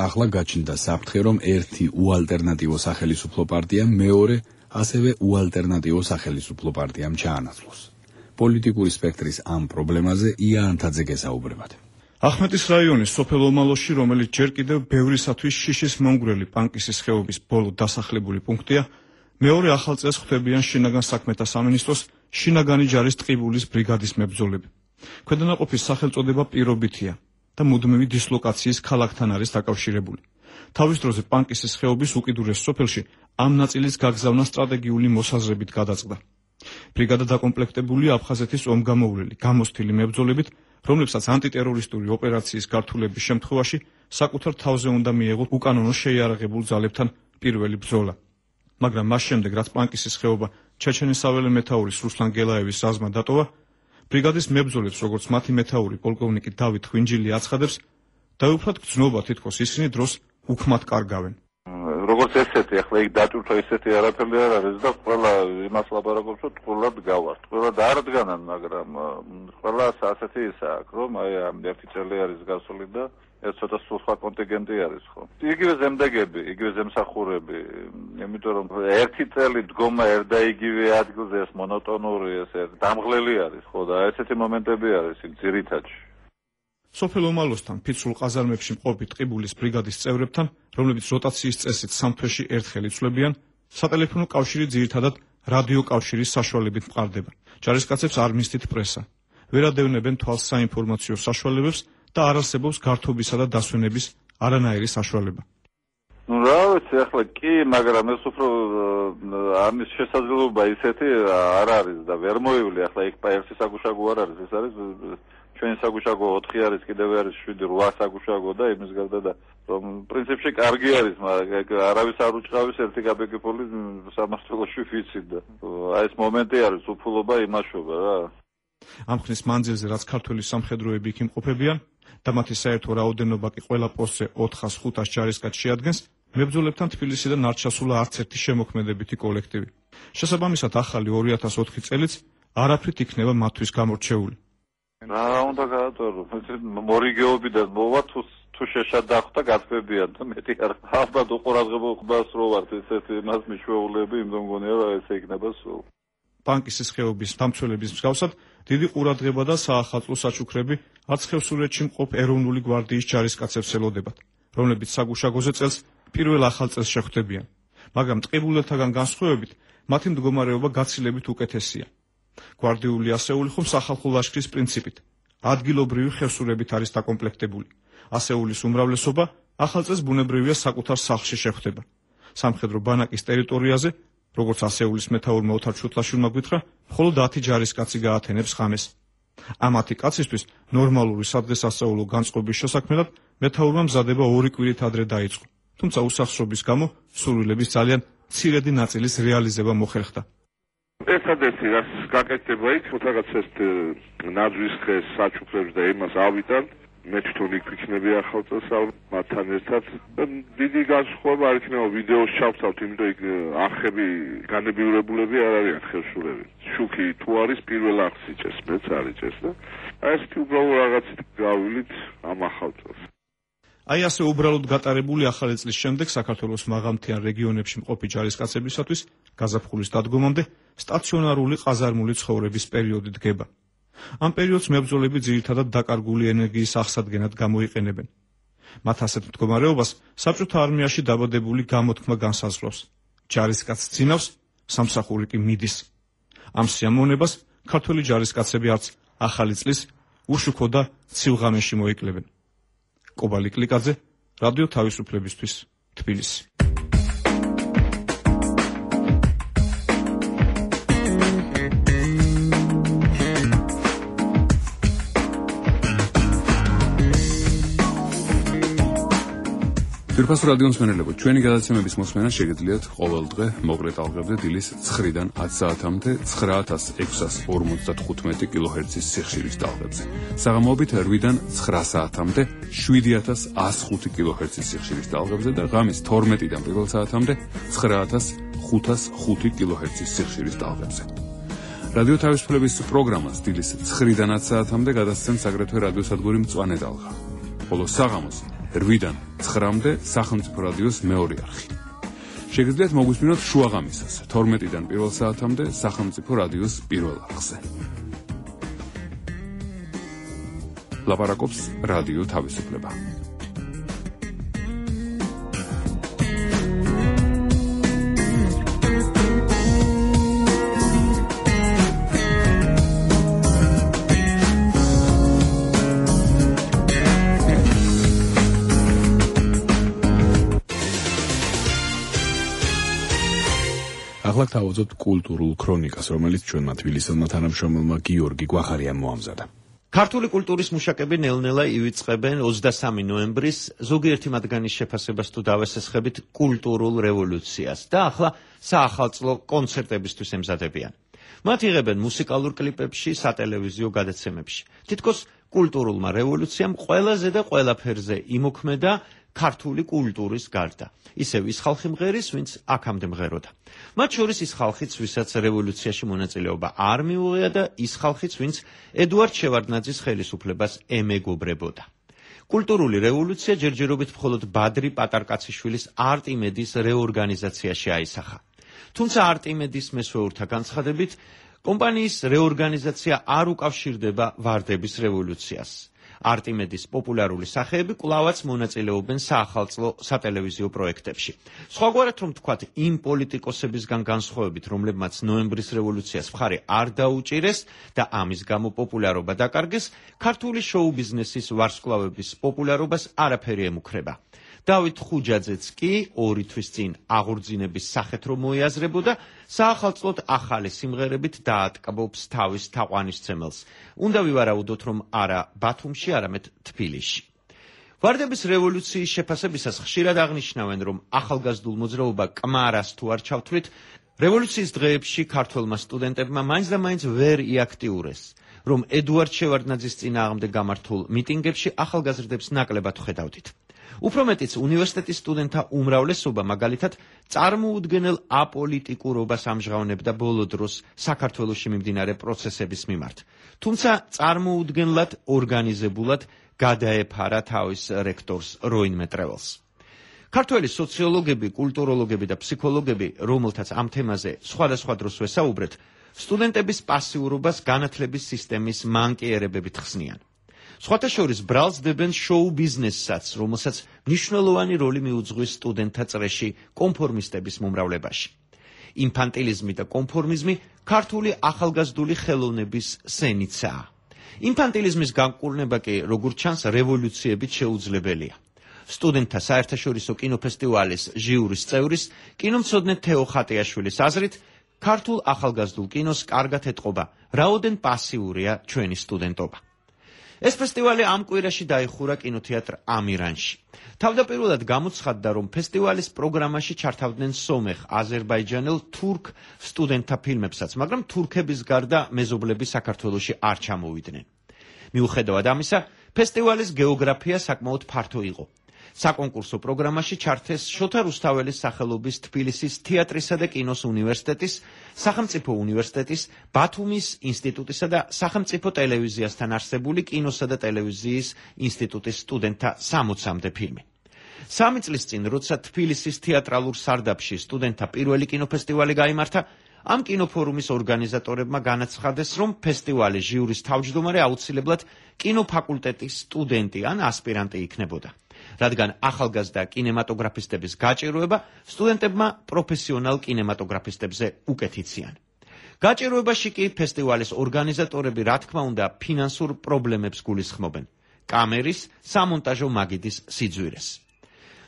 ახლა გაჩნდა საფრთხე, რომ ერთი უალტერნატივო სახელისუფლო პარტია მეორე ასევე უალტერნატივო სახელისუფლო პარტიამ ჩაანაცვლოს. პოლიტიკური სპექტრის ამ პრობლემაზე ია ანთაძე გესაუბრებათ. ახმეტის რაიონის სოფელ ომალოში, რომელიც ჯერ კიდევ ბევრისათვის შიშის მომგვრელი პანკისის ხეობის ბოლო დასახლებული პუნქტია, მეორე ახალ წელს ხვდებიან შინაგან საქმეთა სამინისტროს შინაგანი ჯარის ტყიბულის ბრიგადის მებრძოლები. ქვედანაყოფის სახელწოდება პირობითია და მუდმივი დისლოკაციის ქალაქთან არის დაკავშირებული. თავის დროზე პანკისის ხეობის უკიდურეს სოფელში ამ ნაწილის გაგზავნა სტრატეგიული მოსაზრებით გადაწყდა. ბრიგადა დაკომპლექტებულია აფხაზეთის ომგამოვლელი გამოსთილი მებრძოლებით, რომლებსაც ანტიტერორისტული ოპერაციის გართულების შემთხვევაში საკუთარ თავზე უნდა მიეღოთ უკანონო შეიარაღებულ ძალებთან პირველი ბრძოლა. მაგრამ მას შემდეგ, რაც პანკისის ხეობა ჩეჩენისაველე მეთაურის რუსლან გელაევის საზმა დატოვა, ბრიგადის მებრძოლებს, როგორც მათი მეთაური პოლკოვნიკი დავით ხვინჯილი აცხადებს, დაუბრალად გრძნობა თითქოს ისინი დროს უქმად კარგავენ. როგორც ესეთი, ახლა იქ დაჭურთა ესეთი არაფერი არ არის და ყველა იმას ლაპარაკობს, რომ ტყუილად გავართ. ყველა არ დგანან, მაგრამ ყველას ასეთი ისა აქვს, რომ აი ამ ერთი წელი არის გასული და ეს ცოტა სხვა კონტინგენტი არის, ხო? იგივე ზემდეგები, იგივე ზემსახურები, იმიტომ რომ ერთი წელი დგომა ერთ და იგივე ადგილზე ეს მონოტონური, ეს დამღლელი არის, ხო და ესეთი მომენტები არის იქ ძირითადში. სოფელ ომალოსთან ფიცრულ ყაზარმებში მყოფი ტყიბულის ბრიგადის წევრებთან, რომლებიც როტაციის წესით სამ თვეში ერთხელ იცვლებიან, სატელეფონო კავშირი ძირითადად რადიო კავშირის საშუალებით მყარდება. ჯარისკაცებს არ მისდით პრესა. ვერ ადევნებენ თვალს საინფორმაციო საშუალებებს და არ არსებობს გართობისა და დასვენების არანაირი საშუალება. ну რა ვიცი ახლა კი მაგრამ ეს უფრო ამის შესაძლებლობა ისეთი არ არის და ვერ მოივლი ახლა იქ ერთი საგუშაგო არ არის ეს არის ჩვენი საგუშაგო ოთხი არის კიდევ არის შვიდი რვა საგუშაგო და იმის გარდა და რომ პრინციპში კარგი არის მაგრამ არავის არ უჭყავის ერთი კაპიკიფული სამართლოში ვიცით და აი ეს მომენტი არის უფულობა იმაშობა რა ამ ხნის მანძილზე რაც ქართველი სამხედროები იქ იმყოფებიან და მათი საერთო რაოდენობა კი ყველა პოსტზე ოთხას ხუთას ჯარისკაც შეადგენს მებრძოლებთან თბილისიდან არ ჩასულა არც ერთი შემოქმედებითი კოლექტივი. შესაბამისად ახალი ორი ათას ოთხი წელიც არაფრით იქნება მათთვის გამორჩეული. რა უნდა გაატარო? მორიგეობიდან მოვა თუ თუ შეშად დახვდა გაწებიან და მეტი არ ალბათ უყურადღებობას რო ვართ ესეთი მას მიშვეულები იმ მგონია რომ ესე იქნება სულ. ბანკის ხეობის დამცველების მსგავსად დიდი ყურადღება და საახალწლო საჩუქრები არც ხევსურეთში მყოფ ეროვნული გვარდიის ჯარისკაცებს ელოდებათ, რომლებიც საგუშაგოზე წელს პირველ ახალ წელს შეხვდებიან, მაგრამ ტყიბულეთაგან განსხვავებით მათი მდგომარეობა გაცილებით უკეთესია. გვარდიული ასეული ხომ სახალხო ლაშქრის პრინციპით, ადგილობრივი ხევსურებით არის დაკომპლექტებული. ასეულის უმრავლესობა ახალ წელს ბუნებრივია საკუთარ სახლში შეხვდება. სამხედრო ბანაკის ტერიტორიაზე, როგორც ასეულის მეთაურმა ოთარ ჩუტლაშვილმა გითხრა, მხოლოდ ათი ჯარისკაცი გაათენებს ღამეს. ამ ათი კაცისთვის ნორმალური სადღესასწაულო განწყობის შესაქმნელად მეთაურმა მზადება ორი კვირით ადრე დაიწყო. თუმცა უსახსრობის გამო სურვილების ძალიან მცირედი ნაწილის რეალიზება მოხერხდა. ერთადერთი რაც გაკეთდება იქ რაღაც ეს ნაძვის ხეს საჩუქრებს და იმას ავიდან მე თვითონ იქ ვიქნები ახალ წელს მათთან ერთად და დიდი განსხვავება არ იქნება ვიდეოს ჩავთავთ იმიტომ იქ არხები განებიურებულები არ არიან ხევსურები შუქი თუ არის პირველ არხს იჭეს მეც არ იჭეს და აი ეს უბრალოდ რაღაცით გავილით ამ ახალ წელს აი ასე უბრალოდ გატარებული ახალი წლის შემდეგ საქართველოს მაღალმთიან რეგიონებში მყოფი ჯარისკაცებისათვის გაზაფხულის დადგომამდე სტაციონარული ყაზარმული ცხოვრების პერიოდი დგება. ამ პერიოდს მებრძოლები ძირითადად დაკარგული ენერგიის აღსადგენად გამოიყენებენ. მათ ასეთ მდგომარეობას საბჭოთა არმიაში დაბადებული გამოთქმა განსაზღვრავს. ჯარისკაცს წინავს, სამსახური კი მიდის. ამ სიამოვნებას ქართველი ჯარისკაცები არც ახალი წლის უშუქო და ცივ-ღამეში მოიკლებენ. კობალი კლიკაძე, რადიო თავისუფლებისთვის, თბილისი. ფირფას რადიოს მენელებო, ჩვენი გადაცემების მოსმენა შეგიძლიათ ყოველდღე მოკლე ტალღებზე დილის ცხრიდან ათი საათამდე ცხრა ათას ექვსას ორმოცდათხუთმეტი კილოჰერცის სიხშირის ტალღებზე. საღამოობით რვიდან ცხრა საათამდე შვიდი ათას ასი ხუთი კილოჰერცის სიხშირის ტალღებზე და ღამის თორმეტიდან პირველ საათამდე ცხრა ათას ხუთას ხუთი კილოჰერცის სიხშირის ტალღებზე. რადიო თავისუფლების პროგრამას დილის ცხრიდან ათი საათამდე გადასცემს აგრეთვე რადიოსადგური მწვანე ტალღა. ხოლო საღამოს რვიდან ცხრამდე სახელმწიფო რადიოს მეორე არხი. შეგიძლიათ მოგვისმინოთ შუაღამისას თორმეტიდან პირველ საათამდე სახელმწიფო რადიოს პირველ არხზე. ლაპარაკობს რადიო თავისუფლება. ახლა თავაზობთ კულტურულ ქრონიკას, რომელიც ჩვენმა თბილისელმა თანამშრომელმა გიორგი გვახარიამ მოამზადა. ქართული კულტურის მუშაკები ნელ-ნელა ივიწყებენ ოცდასამი ნოემბრის ზოგიერთი მათგანის შეფასებას თუ დავესესხებით კულტურულ რევოლუციას და ახლა საახალწლო კონცერტებისთვის ემზადებიან. მათ იღებენ მუსიკალურ კლიპებში, სატელევიზიო გადაცემებში. თითქოს კულტურულმა რევოლუციამ ყველაზე და ყველაფერზე იმოქმედა ქართული კულტურის გარდა. ისევ ის ხალხი მღერის, ვინც აქამდე მღეროდა. მათ შორის ის ხალხიც, ვისაც რევოლუციაში მონაწილეობა არ მიუღია და ის ხალხიც, ვინც ედუარდ შევარდნაძის ხელისუფლებას ემეგობრებოდა. კულტურული რევოლუცია ჯერჯერობით მხოლოდ ბადრი პატარკაციშვილის არტიმედის რეორგანიზაციაში აისახა. თუმცა არტიმედის მესვეურთა განცხადებით, კომპანიის რეორგანიზაცია არ უკავშირდება ვარდების რევოლუციას. არტიმედის პოპულარული სახეები კვლავაც მონაწილეობენ საახალწლო სატელევიზიო პროექტებში. სხვაგვარად რომ თქვათ, იმ პოლიტიკოსებისგან განსხვავებით, რომლებმაც ნოემბრის რევოლუციას მხარი არ დაუჭირეს და ამის გამო პოპულარობა დაკარგეს, ქართული შოუ-ბიზნესის ვარსკვლავების პოპულარობას არაფერი ემუქრება. დავით ხუჯაძეც კი ორი თვის წინ აღორძინების სახეთ რომ მოიაზრებოდა, საახალწლოდ ახალი სიმღერებით დაატკბობს თავის თაყვანისცემელს. უნდა ვივარაუდოთ, რომ არა ბათუმში, არამედ თბილისში. ვარდების რევოლუციის შეფასებისას ხშირად აღნიშნავენ, რომ ახალგაზრდულ მოძრაობა კმარას თუ არ ჩავთვლით, რევოლუციის დღეებში ქართველმა სტუდენტებმა მაინც და მაინც ვერ იაქტიურეს, რომ ედუარდ შევარდნაძის წინააღმდეგ გამართულ მიტინგებში ახალგაზრდებს ნაკლებად ხედავდით. უფრო მეტიც, უნივერსიტეტის სტუდენტთა უმრავლესობა მაგალითად წარმოუდგენელ აპოლიტიკურობას ამჟღავნებდა ბოლო დროს საქართველოში მიმდინარე პროცესების მიმართ. თუმცა წარმოუდგენლად ორგანიზებულად გადაეფარა თავის რექტორს როინ მეტრეველს. ქართველი სოციოლოგები, კულტუროლოგები და ფსიქოლოგები, რომელთაც ამ თემაზე სხვადასხვა დროს ვესაუბრეთ, სტუდენტების პასიურობას განათლების სისტემის მანკიერებებით ხსნიან. სხვათა შორის ბრალს დებენ შოუ-ბიზნესსაც, რომელსაც მნიშვნელოვანი როლი მიუძღვის სტუდენტთა წრეში კონფორმისტების მომრავლებაში. ინფანტილიზმი და კონფორმიზმი ქართული ახალგაზრდული ხელოვნების სენიცაა. ინფანტილიზმის განკურნება კი, როგორც ჩანს, რევოლუციებით შეუძლებელია. სტუდენტთა საერთაშორისო კინოფესტივალის ჟიურის წევრის, კინომცოდნე თეო ხატიაშვილის აზრით, ქართულ ახალგაზრდულ კინოს კარგად ეტყობა, რაოდენ პასიურია ჩვენი სტუდენტობა. ეს ფესტივალი ამ კვირაში დაიხურა კინოთეატრ ამირანში. თავდაპირველად გამოცხადდა, რომ ფესტივალის პროგრამაში ჩართავდნენ სომეხ, აზერბაიჯანელ, თურქ სტუდენტთა ფილმებსაც, მაგრამ თურქების გარდა მეზობლები საქართველოში არ ჩამოვიდნენ. მიუხედავად ამისა, ფესტივალის გეოგრაფია საკმაოდ ფართო იყო. საკონკურსო პროგრამაში ჩართეს შოთა რუსთაველის სახელობის თბილისის თეატრისა და კინოს უნივერსიტეტის, სახელმწიფო უნივერსიტეტის, ბათუმის ინსტიტუტისა და სახელმწიფო ტელევიზიასთან არსებული კინოსა და ტელევიზიის ინსტიტუტის სტუდენტთა სამოცამდე ფილმი. სამი წლის წინ, როცა თბილისის თეატრალურ სარდაფში სტუდენტთა პირველი კინოფესტივალი გაიმართა, ამ კინოფორუმის ორგანიზატორებმა განაცხადეს, რომ ფესტივალის ჟიურის თავმჯდომარე აუცილებლად კინოფაკულტეტის სტუდენტი ან ასპირანტი იქნებოდა. რადგან ახალგაზრდა კინემატოგრაფისტების გაჭირვება სტუდენტებმა პროფესიონალ კინემატოგრაფისტებზე უკეთიციან. გაჭირვებაში კი ფესტივალის ორგანიზატორები, რა თქმა უნდა, ფინანსურ პრობლემებს გულისხმობენ, კამერის, სამონტაჟო მაგიდის სიძვირეს.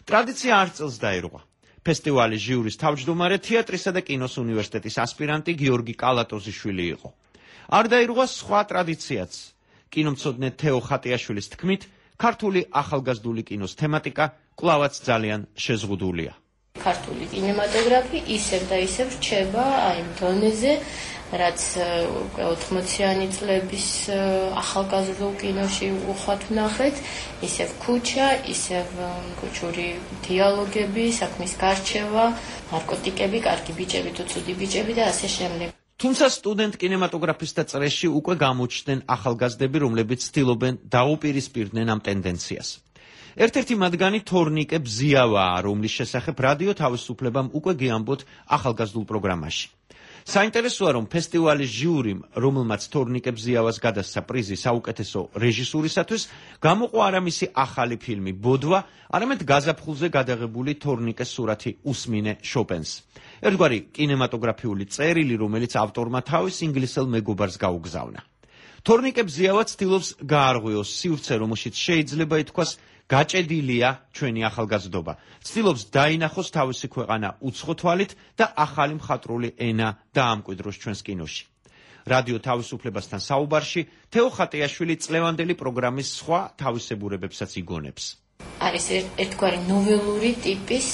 ტრადიცია არ წელს დაირღვა. ფესტივალის ჟიურის თავმჯდომარე თეატრისა და კინოს უნივერსიტეტის ასპირანტი გიორგი კალატოზიშვილი იყო. არ დაირღვა სხვა ტრადიციაც. კინომცოდნე თეო ხატიაშვილის თქმით, ქართული ახალგაზრდული კინოს თემატიკა კვლავაც ძალიან შეზღუდულია. ქართული კინემატოგრაფი ისევ და ისევ რჩება აი დონეზე, რაც ოთხმოციანი წლების ახალგაზრდულ კინოში უხვად ვნახეთ, ისევ ქუჩა, ისევ ქუჩური დიალოგები, საქმის გარჩევა, ნარკოტიკები, კარგი ბიჭები თუ ცუდი ბიჭები და ასე შემდეგ. თუმცა სტუდენტ კინემატოგრაფისტთა წრეში უკვე გამოჩნდნენ ახალგაზრდები, რომლებიც ცდილობენ დაუპირისპირდნენ ამ ტენდენციას. ერთ-ერთი მათგანი თორნიკე ბზიავაა, რომლის შესახებ რადიო თავისუფლებამ უკვე გიამბოთ ახალგაზრდულ პროგრამაში. საინტერესოა, რომ ფესტივალის ჟიურიმ, რომელმაც თორნიკე ბზიავას გადასცა პრიზი საუკეთესო რეჟისურისათვის, გამოყო არა მისი ახალი ფილმი ბოდვა, არამედ გაზაფხულზე გადაღებული თორნიკეს სურათი უსმინე შოპენს. ერთგვარი კინემატოგრაფიული წერილი, რომელიც ავტორმა თავის ინგლისელ მეგობარს გაუგზავნა. თორნიკე ბზიავა ცდილობს გაარღვიოს სივრცე, რომელშიც შეიძლება ითქვას გაჭედილია ჩვენი ახალგაზრდობა. ცდილობს დაინახოს თავისი ქვეყანა უცხო თვალით და ახალი მხატვრული ენა დაამკვიდროს ჩვენს კინოში. რადიო თავისუფლებასთან საუბარში თეო ხატიაშვილი წლევანდელი პროგრამის სხვა თავისებურებებსაც იგონებს. არის ერთგვარი ნოველური ტიპის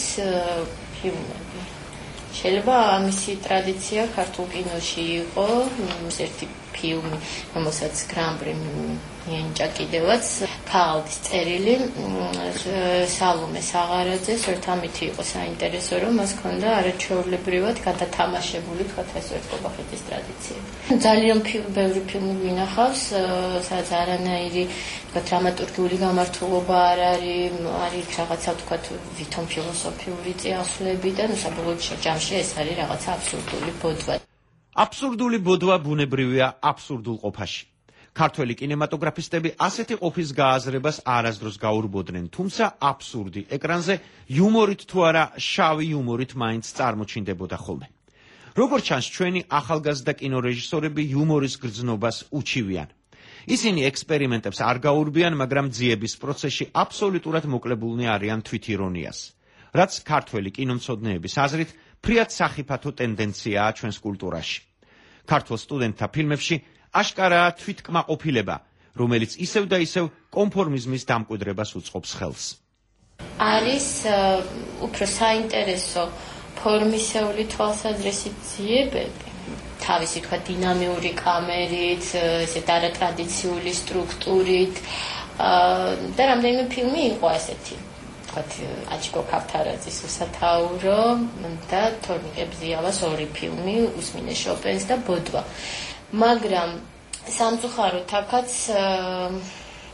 ფილმები. შეიძლება ამისი ტრადიცია ქართულ კინოში იყო, ერთი ფილმი, რომელსაც გრან-პრი მიენიჭა კიდევაც, ქალდის წერილი, სალომე საღარაძეს, ერთ ამითი იყო საინტერესო, რომ მას ჰქონდა არაჩვეულებრივად გადათამაშებული, თქვათ ეს ერთობახეთის ტრადიციები. ძალიან ბევრი ფილმი მინახავს, სადაც არანაირი დრამატურგიული გამართულობა არ არის, არის რაღაცა თქვათ ვითომ ფილოსოფიური წიაღსვლები და ნუ საბოლოო ჯამში ეს არის რაღაცა აბსურდული ბოდვა. აბსურდული ბოდვა ბუნებრივია აბსურდულ ყოფაში. ქართველი კინემატოგრაფისტები ასეთი ყოფის გააზრებას არასდროს გაურბოდნენ, თუმცა აბსურდი ეკრანზე იუმორით თუ არა შავი იუმორით მაინც წარმოჩინდებოდა ხოლმე. როგორც ჩანს, ჩვენი ახალგაზრდა კინორეჟისორები იუმორის გრძნობას უჩივიან. ისინი ექსპერიმენტებს არ გაურბიან, მაგრამ ძიების პროცესში აბსოლუტურად მოკლებულნი არიან თვითირონიას. რაც ქართველი კინომცოდნეების აზრით ფრიად სახიფათო ტენდენციაა ჩვენს კულტურაში. ქართულ სტუდენტთა ფილმებში აშკარაა თვითკმაყოფილება, რომელიც ისევ და ისევ კონფორმიზმის დამკვიდრებას უწყობს ხელს. არის უფრო საინტერესო ფორმისეული თვალსაზრისით ძიებები, თავისი თქვა დინამიური კამერით, ესეთ არატრადიციული სტრუქტურით და რამდენიმე ფილმი იყო ასეთი. ვთქვათ, აჩიკო ქავთარაძის უსათაურო და თორნიკებზიავას ორი ფილმი, უსმინე შოპენს და ბოდვა. მაგრამ სამწუხაროდ აქაც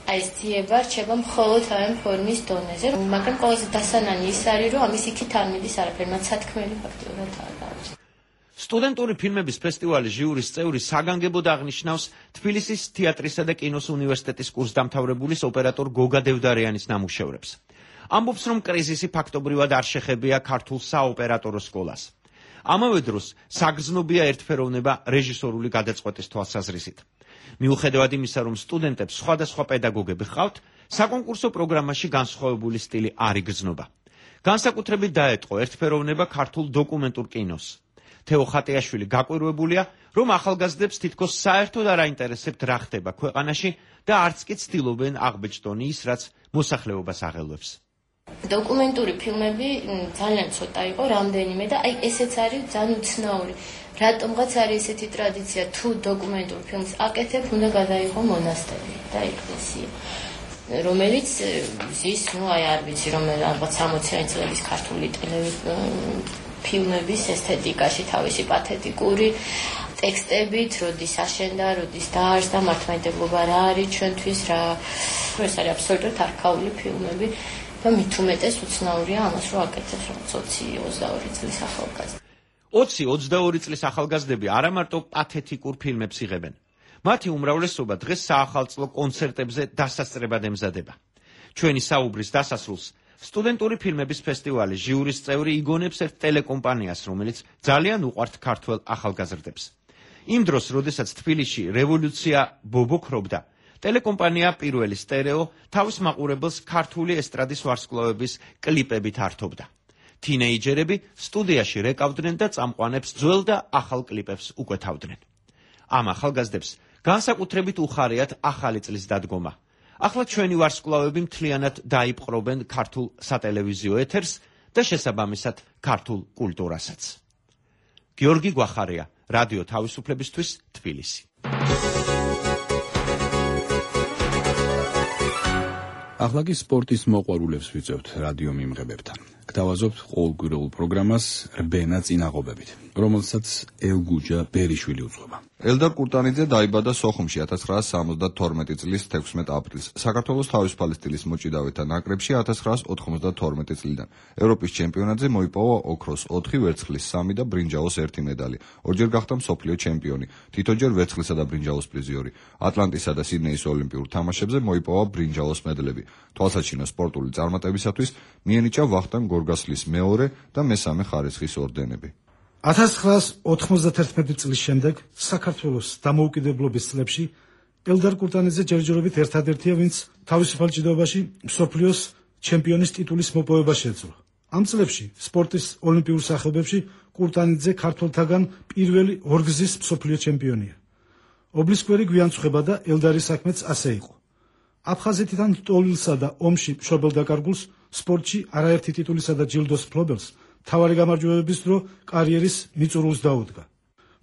აი ეს ძიება რჩება მხოლოდ ამ ფორმის დონეზე, მაგრამ ყველაზე დასანანი ის არის, რომ ამის იქით არ მიდის არაფერი, მათ სათქმელი ფაქტიურად არ აქვს. სტუდენტური ფილმების ფესტივალის ჟიურის წევრი საგანგებოდ აღნიშნავს თბილისის თეატრისა და კინოს უნივერსიტეტის კურსდამთავრებულის ოპერატორ გოგა დევდარიანის ნამუშევრებს. ამბობს, რომ კრიზისი ფაქტობრივად არ შეხებია ქართულ საოპერატორო სკოლას. ამავე დროს საგრძნობია ერთფეროვნება რეჟისორული გადაწყვეტის თვალსაზრისით. მიუხედავად იმისა, რომ სტუდენტებს სხვადასხვა პედაგოგები ჰყავთ, საკონკურსო პროგრამაში განსხვავებული სტილი არ იგრძნობა. განსაკუთრებით დაეტყო ერთფეროვნება ქართულ დოკუმენტურ კინოს. თეო ხატიაშვილი გაკვირვებულია, რომ ახალგაზრდებს თითქოს საერთოდ არ აინტერესებთ რა ხდება ქვეყანაში და არც კი ცდილობენ აღბეჭდონ ის, რაც მოსახლეობას აღელვებს. დოკუმენტური ფილმები ძალიან ცოტა იყო, რამდენიმე და აი ესეც არის ძალიან უცნაური. რატომღაც არის ესეთი ტრადიცია, თუ დოკუმენტურ ფილმს აკეთებ, უნდა გადაიღო მონასტერი და ეკლესია, რომელიც ზის, ну აი არ ვიცი, რომ რაღაც სამოციანი წლების ქართული ტელეფილმების ესთეტიკაში თავისი პათეტიკური ტექსტებით, როდის აშენდა, როდის დაარსდა, მართლმადიდებლობა რა არის ჩვენთვის, რა ეს არის აბსოლუტურად არქაული ფილმები. და მით უმეტეს უცნაურია ამას, რომ აკეთებს რაღაც ოცი ოცდაორი წლის ახალგაზრდა. ოცი ოცდაორი წლის ახალგაზრდები არა მარტო პათეტიკურ ფილმებს იღებენ. მათი უმრავლესობა დღეს საახალწლო კონცერტებზე დასასწრებად ემზადება. ჩვენი საუბრის დასასრულს სტუდენტური ფილმების ფესტივალის ჟიურის წევრი იგონებს ერთ ტელეკომპანიას, რომელიც ძალიან უყვართ ქართველ ახალგაზრდებს. იმ დროს, როდესაც თბილისში რევოლუცია ბობოქრობდა, ტელეკომპანია პირველი სტერეო თავის მაყურებელს ქართული ესტრადის ვარსკვლავების კლიპებით ართობდა. თინეიჯერები სტუდიაში რეკავდნენ და წამყვანებს ძველ და ახალ კლიპებს უკვეთავდნენ. ამ ახალგაზრდებს განსაკუთრებით უხარიათ ახალი წლის დადგომა. ახლა ჩვენი ვარსკვლავები მთლიანად დაიპყრობენ ქართულ სატელევიზიო ეთერს და შესაბამისად ქართულ კულტურასაც. გიორგი გვახარია, რადიო თავისუფლებისთვის, თბილისი. ახლა კი სპორტის მოყვარულებს ვიწევთ რადიო მიმღებებთან. გთავაზობთ ყოველკვირეულ პროგრამას რბენა წინაღობებით, რომელსაც ელგუჯა ბერიშვილი უძღვება. ელდარ კურტანიძე დაიბადა სოხუმში ათას ცხრაას სამოცდათორმეტი წლის თექვსმეტ აპრილს. საქართველოს თავისუფალი სტილის მოჭიდავეთა ნაკრებში ათას ცხრაას ოთხმოცდათორმეტი წლიდან. ევროპის ჩემპიონატზე მოიპოვა ოქროს ოთხი, ვერცხლის სამი და ბრინჯაოს ერთი მედალი. ორჯერ გახდა მსოფლიო ჩემპიონი, თითოჯერ ვერცხლისა და ბრინჯაოს პრიზიორი. ატლანტისა და სიდნეის ოლიმპიურ თამაშებზე მოიპოვა ბრინჯაოს მედლები. თვალსაჩინო სპორტული წარმატებისათვის მიენიჭა ვახტანგ გორგასლის მეორე და მესამე ხარისხის ორდენები. ათას ცხრაას ოთხმოცდათერთმეტი წლის შემდეგ საქართველოს დამოუკიდებლობის წლებში ელდარ კურტანიძე ჯერჯერობით ერთადერთია, ვინც თავისუფალ ჭიდაობაში მსოფლიოს ჩემპიონის ტიტულის მოპოვება შეძლო. ამ წლებში სპორტის ოლიმპიურ სახეობებში კურტანიძე ქართველთაგან პირველი ორგზის მსოფლიო ჩემპიონია. ობლისკვერი გვიანწუხება და ელდარის საქმეც ასე იყო. აფხაზეთიდან ტოლილსა და ომში მშობელ დაკარგულს სპორტში არაერთი ტიტულისა და ჯილდოს მფლობელს თავარი გამარჯვებების დრო კარიერის მიწურულს დაუდგა.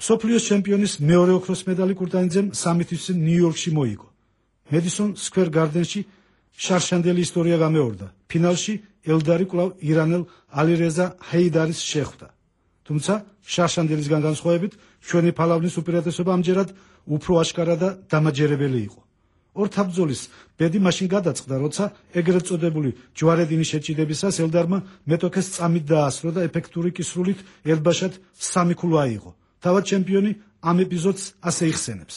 მსოფლიოს ჩემპიონის მეორე ოქროს მედალი კურტანიძემ სამი თვის ნიუ-იორკში მოიგო. მედისონ სკვერ გარდენში შარშანდელი ისტორია გამეორდა. ფინალში ელდარი კვლავ ირანელ ალირეზა ჰეიდარის შეხვდა. თუმცა შარშანდელისგან განსხვავებით ჩვენი ფალავნის უპირატესობა ამჯერად უფრო აშკარა და დამაჯერებელი იყო. ორ თაბძოლის ბედი მაშინ გადაწყდა, როცა ეგრეთ წოდებული ჯვარედინის შეჭიდებისას ელდარმა მეტოქეს წამით დაასრო და ეფექტური კისრულით ელბაშად სამი ქულა აიღო. თავად ჩემპიონი ამ ეპიზოდს ასე იხსენებს.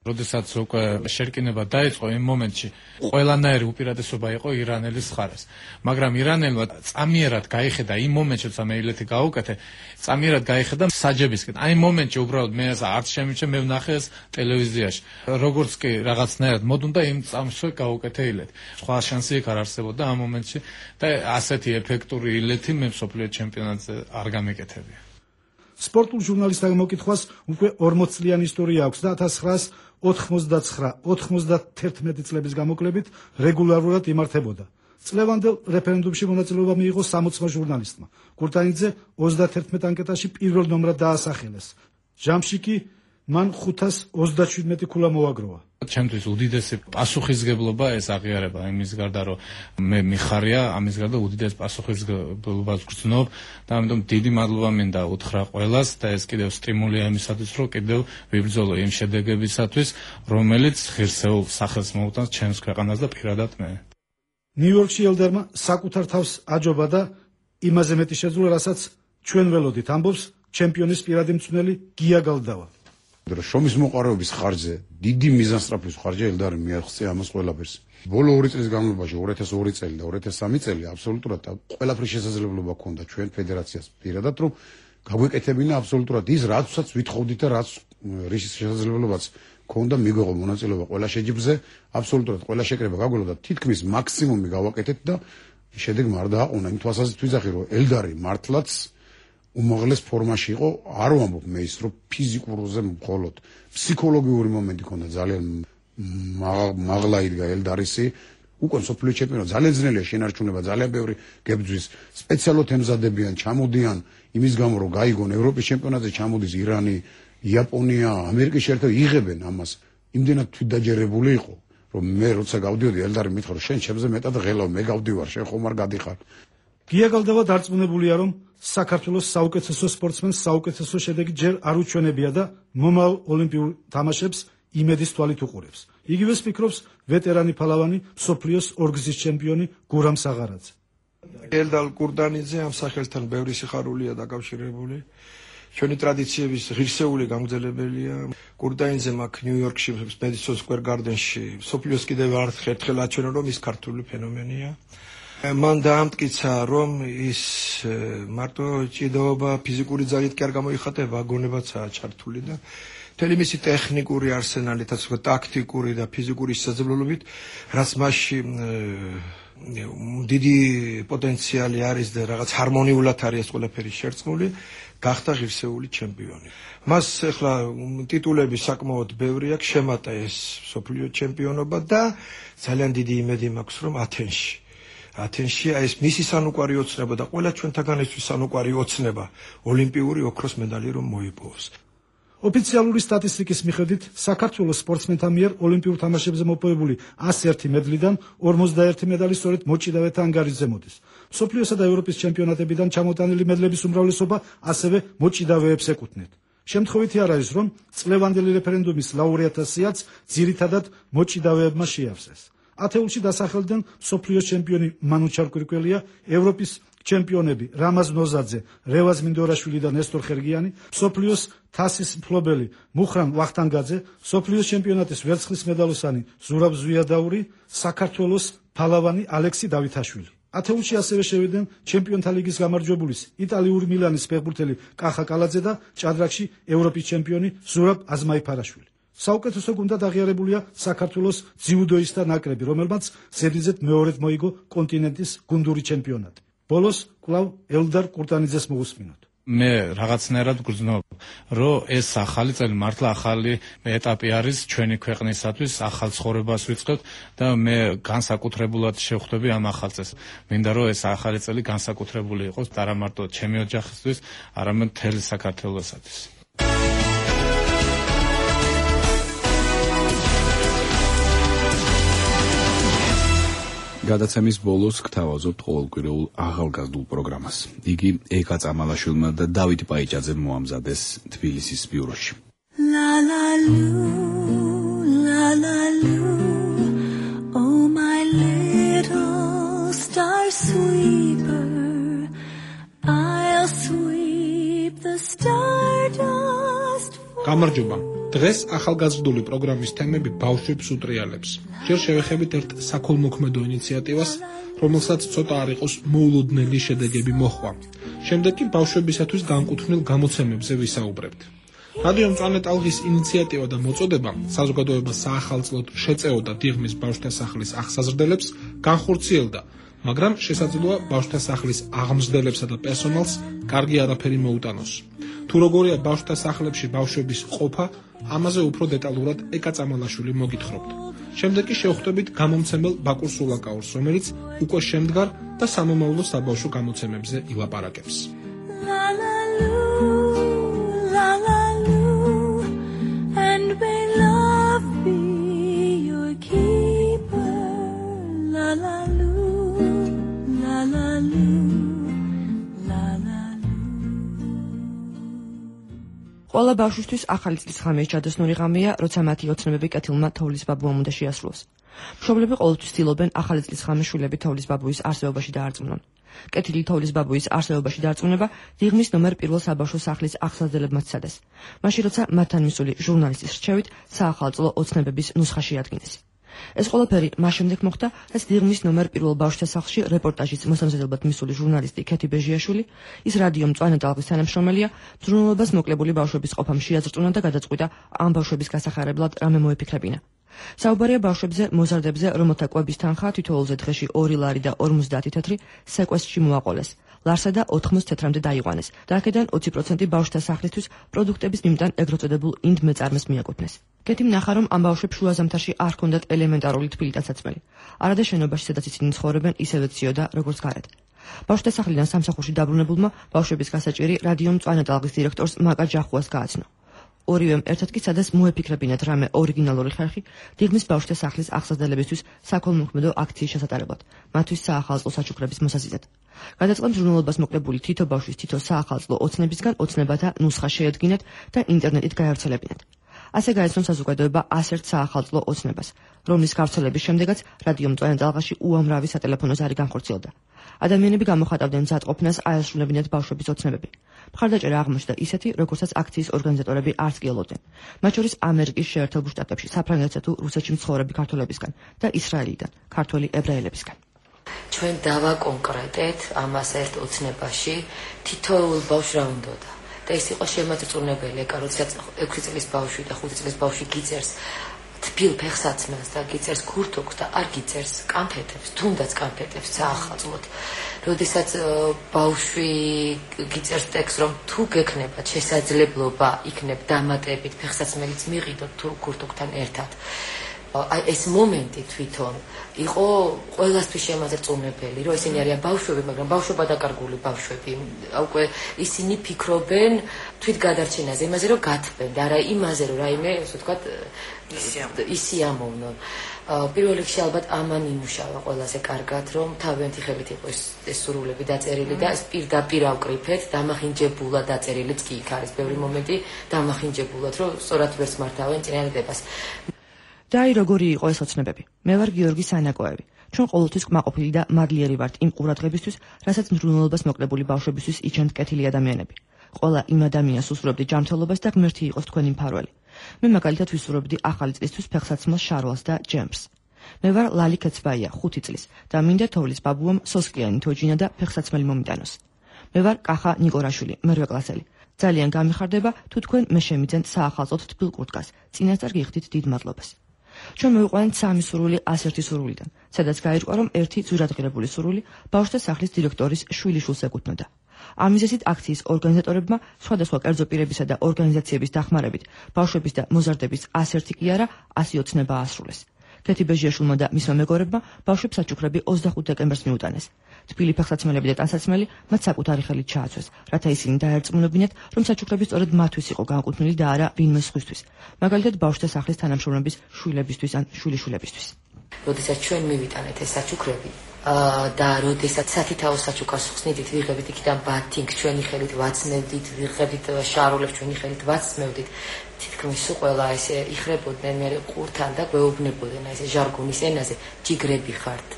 როდესაც უკვე შერკინება დაიწყო იმ მომენტში ყველანაირი უპირატესობა იყო ირანელის მხარეს. მაგრამ ირანელმა წამიერად გაიხედა იმ მომენტში, როცა მე ილეთი გაუკეთე, წამიერად გაიხედა საჯებისკენ. აი იმ მომენტში უბრალოდ მე არც შემიჩე, მე ვნახე ეს ტელევიზიაში. როგორც კი რაღაცნაირად მოდუნდა იმ წამსვე გაუკეთე ილეთი. სხვა შანსი იქ არ არსებობდა ამ მომენტში და ასეთი ეფექტური ილეთი მე მსოფლიო ჩემპიონატზე არ გამეკეთებია. სპორტულ ჟურნალისტთა მოკითხვას უკვე ორმოც წლიანი ისტორია აქვს და ათას ცხრაას ოცდაათი ოცდაათერთმეტი წლების გამოკლებით რეგულარულად იმართებოდა. წლევანდელ რეფერენდუმში მონაწილეობა მიიღო სამოცმა ჟურნალისტმა. კურტანიძე ოცდაათერთმეტ ანკეტაში პირველ ნომრად დაასახელეს. ჯამში კი მან ხუთას ოცდაშვიდმეტი ქულა მოაგროვა. ჩემთვის უდიდესი პასუხისგებლობა ეს აღიარება იმის გარდა რომ მე მიხარია ამის გარდა უდიდეს პასუხისგებლობას გრძნობ და ამიტომ დიდი მადლობა მინდა უთხრა ყველას და ეს კიდევ სტიმულია იმისათვის რომ კიდევ ვიბრძოლო იმ შედეგებისათვის რომელიც ღირსეულ სახელს მოუტანს ჩემს ქვეყანას და პირადად მე. ნიუ-იორკში ელდერმა საკუთარ თავს აჯობა და იმაზე მეტი შეძლო რასაც ჩვენ ველოდით ამბობს ჩემპიონის პირადი მწვრთნელი გია გალდავა. შრომის მოყარების ხარჯზე დიდი მიზანსწრაფის ხარჯი ელდარი მიაღწია ამას ყველაფერს. ბოლო ორი წლის განმავლობაში ორი ათას ორი წელი და ორი ათას სამი წელი აბსოლუტურად ყველაფრის შესაძლებლობა ჰქონდა ჩვენ ფედერაციას პირადად რომ გაგვეკეთებინა აბსოლუტურად ის რაცაც ვითხოვდით და რაც რის შესაძლებლობაც ჰქონდა მიგვეღო მონაწილეობა ყველა შეჯიბრზე აბსოლუტურად ყველა შეკრება გაგველო და თითქმის მაქსიმუმი გავაკეთეთ და შედეგმა არ დააყონა იმ თვალსაზრისით ვიძახი რომ ელდარი მართლაც უმაღლეს ფორმაში იყო, არ ვამბობ მე ის რომ ფიზიკურზე მხოლოდ ფსიქოლოგიური მომენტი ჰქონდა ძალიან მაღლა იდგა ელდარისი უკვე სოფლიო ჩემპიონატი ძალიან ძნელია შენარჩუნება ძალიან ბევრი გებძვის სპეციალურად ემზადებიან ჩამოდიან იმის გამო რომ გაიგონ ევროპის ჩემპიონატზე ჩამოდის ირანი იაპონია ამერიკის შეერთებული იღებენ ამას იმდენად თვითდაჯერებული იყო რომ მე როცა გავდიოდი ელდარი მითხრა რომ შენ ჩემზე მეტად ღელავ მე გავდივარ შენ ხომ არ გადიხარ. გია გალდავა დარწმუნებულია რომ საქართველოს საუკეთესო სპორტსმენს საუკეთესო შედეგი ჯერ არ უჩვენებია და მომავალ ოლიმპიურ თამაშებს იმედის თვალით უყურებს. იგივეს ფიქრობს ვეტერანი ფალავანი მსოფლიოს ორგზის ჩემპიონი გურამ საღარაძე. ელდარ კურტანიძე ამ სახელთან ბევრი სიხარულია დაკავშირებული. ჩვენი ტრადიციების ღირსეული გამგზელებელია. კურტანიძემ აქ ნიუ-იორკში მედისონ სკვერ გარდენში მსოფლიოს კიდევ ერთხელ აჩვენა რომ ის ქართული ფენომენია. მან დაამტკიცა რომ ის მარტო ჭიდაობა ფიზიკური ძალით კი არ გამოიხატება, გონებაცაა ჩართული და მთელი მისი ტექნიკური არსენალითაც, ტაქტიკური და ფიზიკური შესაძლებლობით, რაც მასში დიდი პოტენციალი არის და რაღაც ჰარმონიულად არის ეს ყველაფერი შერწყმული, გახდა ღირსეული ჩემპიონი. მას ახლა ტიტულები საკმაოდ ბევრი აქვს, შემატა ეს მსოფლიო ჩემპიონობა და ძალიან დიდი იმედი მაქვს რომ ათენში ათენში ეს მისი სანუკვარი ოცნება და ყველა ჩვენთაგანისთვის სანუკვარი ოცნება ოლიმპიური ოქროს მედალი რომ მოიპოვოს. ოფიციალური სტატისტიკის მიხედვით საქართველოს სპორტსმენთა მიერ ოლიმპიურ თამაშებზე მოპოვებული ასი ერთი მედლიდან ორმოცდაერთი მედალი სწორედ მოჭიდავეთა ანგარიშზე მოდის. მსოფლიოსა და ევროპის ჩემპიონატებიდან ჩამოტანილი მედლების უმრავლესობა ასევე მოჭიდავეებს ეკუთვნით. შემთხვევითი არ არის რომ წლევანდელი რეფერენდუმის ლაურეატთა სიაც ძირითადად მოჭიდავეებმა შეავსეს. ათეულში დასახელდნენ მსოფლიოს ჩემპიონი მანუ ჩარკვირკველია, ევროპის ჩემპიონები რამაზ ნოზაძე, რევაზ მინდორაშვილი და ნესტორ ხერგიანი, მსოფლიოს თასის მფლობელი მუხრან ვახტანგაძე, მსოფლიოს ჩემპიონატის ვერცხლის მედალოსანი ზურაბ ზვიადაური, საქართველოს ფალავანი ალექსი დავითაშვილი. ათეულში ასევე შევიდნენ ჩემპიონთა ლიგის გამარჯვებულის იტალიური მილანის ფეხბურთელი კახა კალაძე და ჭადრაკში ევროპის ჩემპიონი ზურაბ აზმაიფარაშვილი. საუკეთესო გუნდად აღიარებულია საქართველოს ძიუდოისტთა ნაკრები, რომელმაც ზედიზედ მეორედ მოიგო კონტინენტის გუნდური ჩემპიონატი. ბოლოს კვლავ ელდარ კურტანიძეს მოვუსმინოთ. მე რაღაცნაირად გრძნობ, რომ ეს ახალი წელი მართლა ახალი ეტაპი არის ჩვენი ქვეყნისათვის, ახალ ცხოვრებას ვიწყებთ და მე განსაკუთრებულად შევხვდები ამ ახალ წელს. მინდა რომ ეს ახალი წელი განსაკუთრებული იყოს და არა მარტო ჩემი ოჯახისთვის, არამედ მთელი საქართველოსათვის. გადაცემის ბოლოს გთავაზობთ ყოველკვირეულ ახალგაზრდულ პროგრამას. იგი ეკა წამალაშვილმა და დავით პაიჭაძემ მოამზადეს თბილისის ბიუროში. La la lu, la la lu, oh my little star sweeper, I'll sweep the stardust. გამარჯობა. დღეს ახალგაზრდული პროგრამის თემები ბავშვებს უტრიალებს. ჯერ შევეხებით ერთ საქველმოქმედო ინიციატივას, რომელსაც ცოტა არ იყოს მოულოდნელი შედეგები მოჰყვა. შემდეგ კი ბავშვებისათვის განკუთვნილ გამოცემებზე ვისაუბრებთ. რადიო მწვანე ტალღის ინიციატივა და მოწოდება საზოგადოებას საახალწლოდ შეწეოდა დიღმის ბავშვთა სახლის აღსაზრდელებს, განხორციელდა, მაგრამ შესაძლოა ბავშვთა სახლის აღმზრდელებსა და პერსონალს კარგი არაფერი მოუტანოს. თუ როგორია ბავშვთა სახლებში ბავშვების ყოფა, ამაზე უფრო დეტალურად ეკა წამალაშვილი მოგითხრობთ. შემდეგ კი შევხვდებით გამომცემელ ბაკურ სულაკაურს, რომელიც უკვე შემდგარ და სამომავლო საბავშვო გამოცემებზე ილაპარაკებს. ყველა ბავშვისთვის ახალი წლის ღამე ჯადოსნური ღამეა, როცა მათი ოცნებები კეთილმა თოვლის ბაბუამ უნდა შეასრულოს. მშობლები ყოველთვის ცდილობენ ახალი წლის ღამე შვილები თოვლის ბაბუის არსებობაში დაარწმუნონ. კეთილი თოვლის ბაბუის არსებობაში დარწმუნება დიღმის ნომერ პირველ საბავშვო სახლის აღსაზრდელებმა სცადეს. მაშინ როცა მათთან მისული ჟურნალისტის რჩევით საახალწლო ოცნებების ნუსხა შეადგინეს. ეს ყველაფერი მას შემდეგ მოხდა, რაც დიღმის ნომერ პირველ ბავშვთა სახლში რეპორტაჟის მოსამზადებლად მისული ჟურნალისტი ქეთი ბეჟიაშვილი, ის რადიო მწვანე ტალღის თანამშრომელია, მზრუნველობას მოკლებული ბავშვების ყოფამ შეაწწუნა და გადაწყვიტა ამ ბავშვების გასახარებლად რამე მოეფიქრებინა. საუბარია ბავშვებზე, მოზარდებზე, რომელთა კვების თანხა თითოეულზე დღეში ორი ლარი და ორმოცდაათი თეთრი სეკვესტრში მოაყოლეს. ლარსა და ოთხმოცდ თეთრამდე დაიყვანეს და აქედან ოცი პროცენტი ბავშვთა სახლისთვის პროდუქტების მიმდან ეგრეთ წოდებულ ინდ მეწარმეს მიაკუთვნეს. კეთი ნახა, რომ ამ ბავშვებს შუა ზამთარში არ ჰქონდათ ელემენტარული თბილი ტაცაცმელი. არადა შენობაში, სადაც ისინი ცხოვრობენ, ისევე ციოდა, როგორც გარეთ. ბავშვთა სახლიდან სამსახურში დაბრუნებულმა ბავშვების გასაჭირი რადიო მწვანე ტალღის დირექტორს მაკა ჯახუას გააცნო. ორივემ ერთად კი სადაც მოეფიქრებინათ რამე ორიგინალური ხერხი დიღმის ბავშვთა სახლის აღსაზრდელებისთვის საქველმოქმედო აქციის შესატარებლად, მათთვის საახალწლო საჩუქრების მოსაზიდად. გადაწყდა მზრუნველობას მოკლებული თითო ბავშვის თითო საახალწლო ოცნებისგან ოცნებათა ნუსხა შეედგინათ და ინტერნეტით გაავრცელებინათ. ასე გაეცნო საზოგადოება ასერთ საახალწლო ოცნებას, რომლის გავრცელების შემდეგაც რადიო მწვანე ტალღაში უამრავი სატელეფონო ზარი განხორციელდა. ადამიანები გამოხატავდნენ მზადყოფნას აესრულებინათ ბავშვების ოცნებები. მხარდაჭერა აღმოჩნდა ისეთი, როგორცაც აქციის ორგანიზატორები არც კი ელოდნენ. მათ შორის ამერიკის შეერთებულ შტატებში, საფრანგეთსა თუ რუსეთში მცხოვრები ქართველებისგან და ისრაელიდან, ქართველი ებრაელებისგან. ჩვენ დავაკონკრეტეთ ამას ერთ ოცნებაში თითოეულ ბავშვს რა უნდოდა. და ეს იყო შემოწმუნებელი, ეკა როდესაც ექვსი წლის ბავშვი და ხუთი წლის ბავშვი გიწერს თბილ ფეხსაცმელს და გიწერს ქურთოქს და არ გიწერს კანფეტებს, თუნდაც კანფეტებს საახალწლოდ. როდესაც ბავშვი გიწერს ტექსტს, რომ თუ გექნებათ შესაძლებლობა იქნებ დამატებით ფეხსაცმელიც მიყიდოთ თუ ქურთოქთან ერთად. აი ეს მომენტი თვითონ იყო ყველასთვის შემოწმუნებელი, რომ ისინი არიან ბავშვები, მაგრამ ბავშვობა დაკარგული ბავშვები. უკვე ისინი ფიქრობენ თვით გადარჩენაზე, იმაზე რომ გათბენ და არა იმაზე რომ რაიმე, ასე ვთქვათ, ისიამოვნონ. პირველ რიგში ალბათ ამან იმუშავა ყველაზე კარგად, რომ თავიანთი ხელით იყო ეს სურვილები დაწერილი და ეს პირდაპირ ავკრიფეთ, დამახინჯებულად დაწერილიც კი იქ არის ბევრი მომენტი, დამახინჯებულად, რომ სწორად ვერც მართავენ წინააღმდეგობას. და აი როგორი იყო ეს ოცნებები. მე ვარ გიორგი სანაკოევი. ჩვენ ყოველთვის კმაყოფილი და მარლიერი ვართ იმ ყურადღებისთვის, რასაც მზრუნველობას მოკლებული ბავშვებისთვის იჩენთ კეთილი ადამიანები. ყველა იმ ადამიანს უსურვებდი ჯანმრთელობას და ღმერთი იყოს თქვენი მფარველი. მე მაგალითად ვისურვებდი ახალი წლისთვის ფეხსაცმელს შარვალს და ჯემს. მე ვარ ლალი კეცბაია, ხუთი წლის და მინდა თოვლის ბაბუამ სოსკიანი თოჯინა და ფეხსაცმელი მომიტანოს. მე ვარ კახა ნიკორაშვილი, მერვე კლასელი. ძალიან გამიხარდება თუ თქვენ მე შემიძენთ საახალწლოდ თბილ კურტკას. წინასწარ გიხდით დიდ მადლობას. ჩვენ მოვიყვანეთ სამი სურვილი ასერთი სურვილიდან, სადაც გაირკვა, რომ ერთი ძვირადღირებული სურვილი ბავშვთა სახლის დირექტორის შვილიშვილს ეკუთვნოდა. ამ მიზეზით აქციის ორგანიზატორებმა სხვადასხვა კერძო პირებისა და ორგანიზაციების დახმარებით ბავშვების და მოზარდების ასერთი კი არა, ასი ოცნება აასრულეს. ქეთი ბეჟიაშვილმა და მისმა მეგობრებმა ბავშვებს საჩუქრები ოცდახუთ დეკემბერს მიუტანეს. თბილი ფეხსაცმელები და ტანსაცმელი მათ საკუთარი ხელით ჩააცვეს, რათა ისინი დაერწმუნებინათ, რომ საჩუქრები სწორედ მათთვის იყო განკუთვნილი და არა ვინმე სხვისთვის. მაგალითად ბავშვთა სახლის თანამშრომლების შვილებისთვის ან შვილიშვილებისთვის. როდესაც ჩვენ მივიტანეთ ეს საჩუქრები და როდესაც სათითაო საჩუქარს ხსნიდით, ვიღებთ იქიდან ბათინგს ჩვენი ხელით ვაცნევდით, ვიღებთ შარულებს ჩვენი ხელით ვაცნევდით. თითქმის ყველა ესე იხრებოდნენ მე ყურთან და გვეუბნებოდნენ ესე ჟარგონის ენაზე, ჯიგრები ხართ,